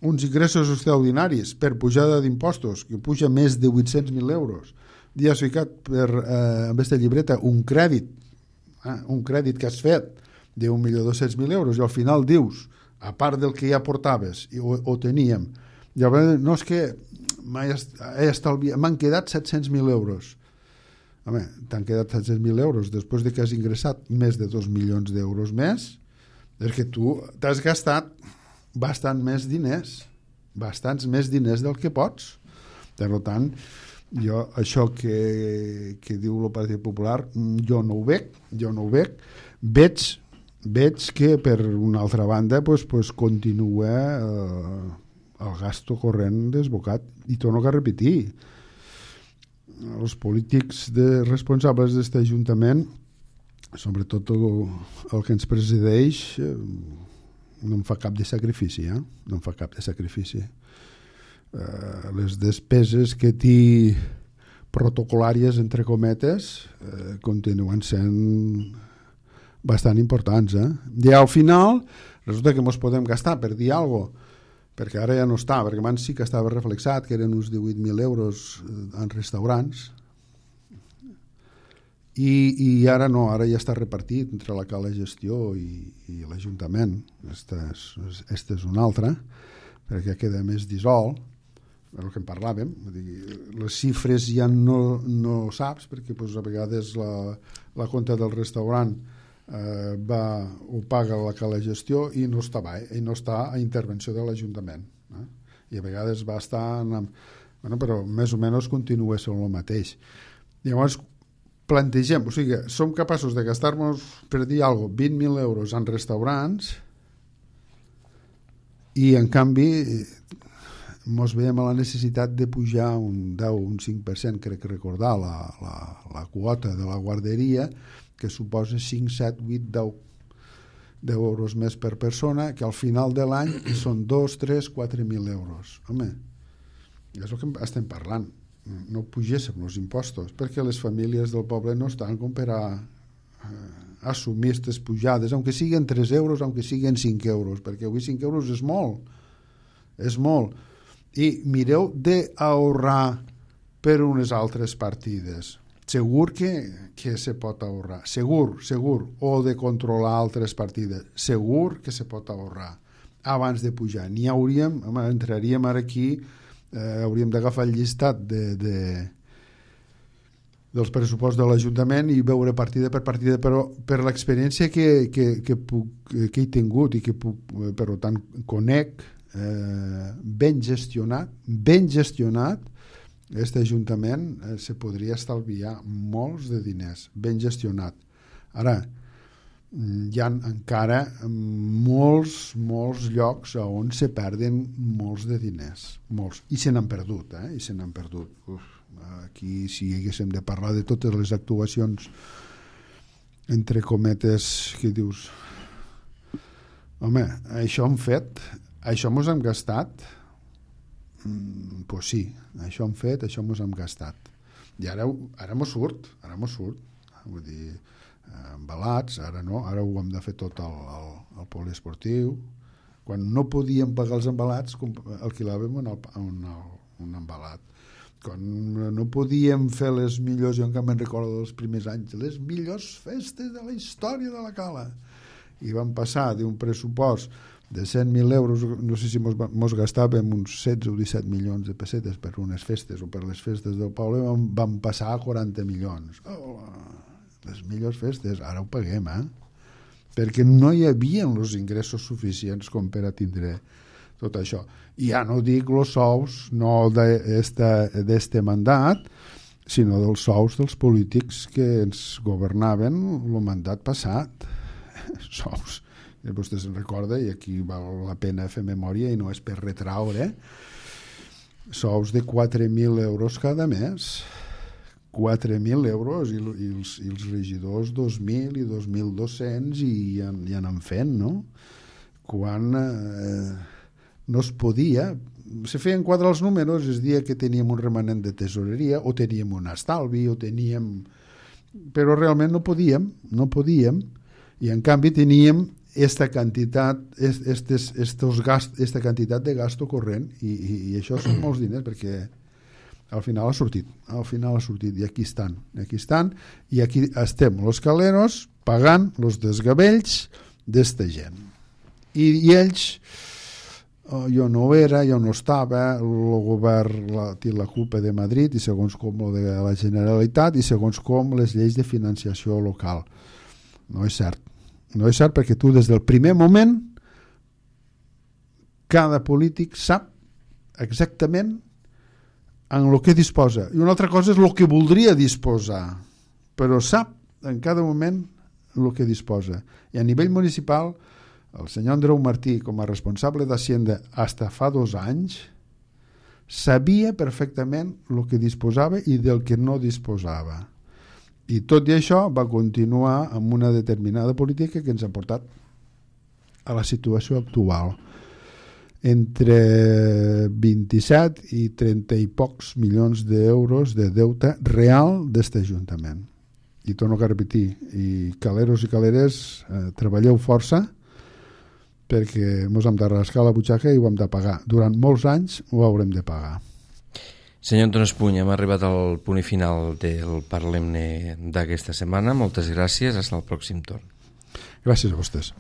uns ingressos extraordinaris per pujada d'impostos, que puja més de vuit-cents mil euros, i has ficat per, eh, amb aquesta llibreta un crèdit, eh, un crèdit que has fet d'un milió dos-cents mil euros, i al final dius, a part del que ja portaves, i ho, ho teníem, llavors no és que m'han quedat set-cents mil euros. Home, t'han quedat set-cents mil euros després de que has ingressat més de dos milions d'euros més, és que tu t'has gastat bastant més diners, bastants més diners del que pots. Per tant, jo això que, que diu el Partit Popular, jo no ho veig, jo no ho veig. Veig, veig que per una altra banda pues, pues, continua eh, el gasto corrent desbocat. I torno a repetir, els polítics de, responsables d'aquest Ajuntament, sobretot el, el que ens presideix, eh, no en fa cap de sacrifici, eh? no en fa cap de sacrifici. Uh, les despeses que té protocolàries, entre cometes, uh, continuen sent bastant importants. Eh? I al final, resulta que ens podem gastar per dir alguna cosa, perquè ara ja no està, perquè abans sí que estava reflexat, que eren uns divuit mil euros en restaurants, i, i ara no, ara ja està repartit entre la cala gestió i, i l'Ajuntament. Esta és, esta és una altra, perquè queda més dissolt, el que en parlàvem, les xifres ja no, no saps, perquè pues, a vegades la, la compta del restaurant eh, va, ho paga la cala gestió i no està, i no està a intervenció de l'Ajuntament. Eh? I a vegades va estar... En, bueno, però més o menys continua sent el mateix. Llavors, plantegem, o sigui, som capaços de gastar-nos, per dir alguna cosa, vint mil euros en restaurants i, en canvi, ens veiem a la necessitat de pujar un deu o un cinc per cent, crec que recordar, la, la, la quota de la guarderia, que suposa cinc, set, vuit, deu euros més per persona, que al final de l'any són dos, tres, quatre mil euros. Home, és el que estem parlant. No pugéssim els impostos, perquè les famílies del poble no estan com per a eh, assumir aquestes pujades, aunque siguin tres euros, aunque siguin cinc euros, perquè avui cinc euros és molt, és molt. I mireu d'ahorrar per unes altres partides. Segur que, que se pot ahorrar, segur, segur, o de controlar altres partides, segur que se pot ahorrar abans de pujar. N'hi hauríem, home, entraríem ara aquí, eh, hauríem d'agafar el llistat de, de, dels pressupostos de l'Ajuntament i veure partida per partida, però per l'experiència que, que, que, puc, que he tingut i que puc, per tant conec, eh, ben gestionat, ben gestionat, aquest Ajuntament eh, se podria estalviar molts de diners, ben gestionat. Ara, hi ha encara molts, molts llocs on se perden molts de diners, molts, i se n'han perdut, eh? I se n'han perdut. Uf, aquí, si haguéssim de parlar de totes les actuacions, entre cometes, que dius, home, això hem fet, això mos hem gastat, mm, pues sí, això hem fet, això mos hem gastat. I ara, ara mos surt, ara mos surt. Vull dir, embalats, ara no, ara ho hem de fer tot al, al, al poliesportiu. Quan no podíem pagar els embalats, alquilàvem un, un, un embalat. Quan no podíem fer les millors, jo encara me'n recordo dels primers anys, les millors festes de la història de la Cala. I vam passar d'un pressupost de cent mil euros, no sé si mos, mos gastàvem uns setze o disset milions de pessetes per unes festes o per les festes del poble, vam, vam passar a quaranta milions. Oh, les millors festes, ara ho paguem, eh? Perquè no hi havia els ingressos suficients com per a tindre tot això. I ja no dic els sous, no d'este mandat, sinó dels sous dels polítics que ens governaven el mandat passat. Sous. I vostè se'n recorda, i aquí val la pena fer memòria i no és per retraure, sous de quatre mil euros cada mes. quatre mil euros i, i, els, i els regidors dos mil i dos mil dos-cents i ja, ja anem fent, no? Quan eh, no es podia, se feien quadrar els números, es dia que teníem un remanent de tesoreria o teníem un estalvi o teníem... però realment no podíem, no podíem, i en canvi teníem esta quantitat, estes, estos gast, esta quantitat de gasto corrent i, i, i això són molts diners perquè al final ha sortit, al final ha sortit i aquí estan, aquí estan i aquí estem los caleros pagant los desgavells d'esta gent i, i ells oh, jo no era, jo no estava el govern la, té la culpa de Madrid i segons com el de la Generalitat i segons com les lleis de financiació local. No és cert, no és cert perquè tu des del primer moment cada polític sap exactament en el que disposa. I una altra cosa és el que voldria disposar, però sap en cada moment el que disposa. I a nivell municipal, el senyor Andreu Martí, com a responsable d'Hacienda fins fa dos anys, sabia perfectament el que disposava i del que no disposava. I tot i això va continuar amb una determinada política que ens ha portat a la situació actual. Entre vint-i-set i trenta i pocs milions d'euros de deute real d'este Ajuntament. I torno a repetir, i caleros i caleres, eh, treballeu força perquè ens hem de rascar la butxaca i ho hem de pagar. Durant molts anys ho haurem de pagar. Senyor Antoni Espuny, hem arribat al punt i final del Parlem-ne d'aquesta setmana. Moltes gràcies, fins al pròxim torn. Gràcies a vostès.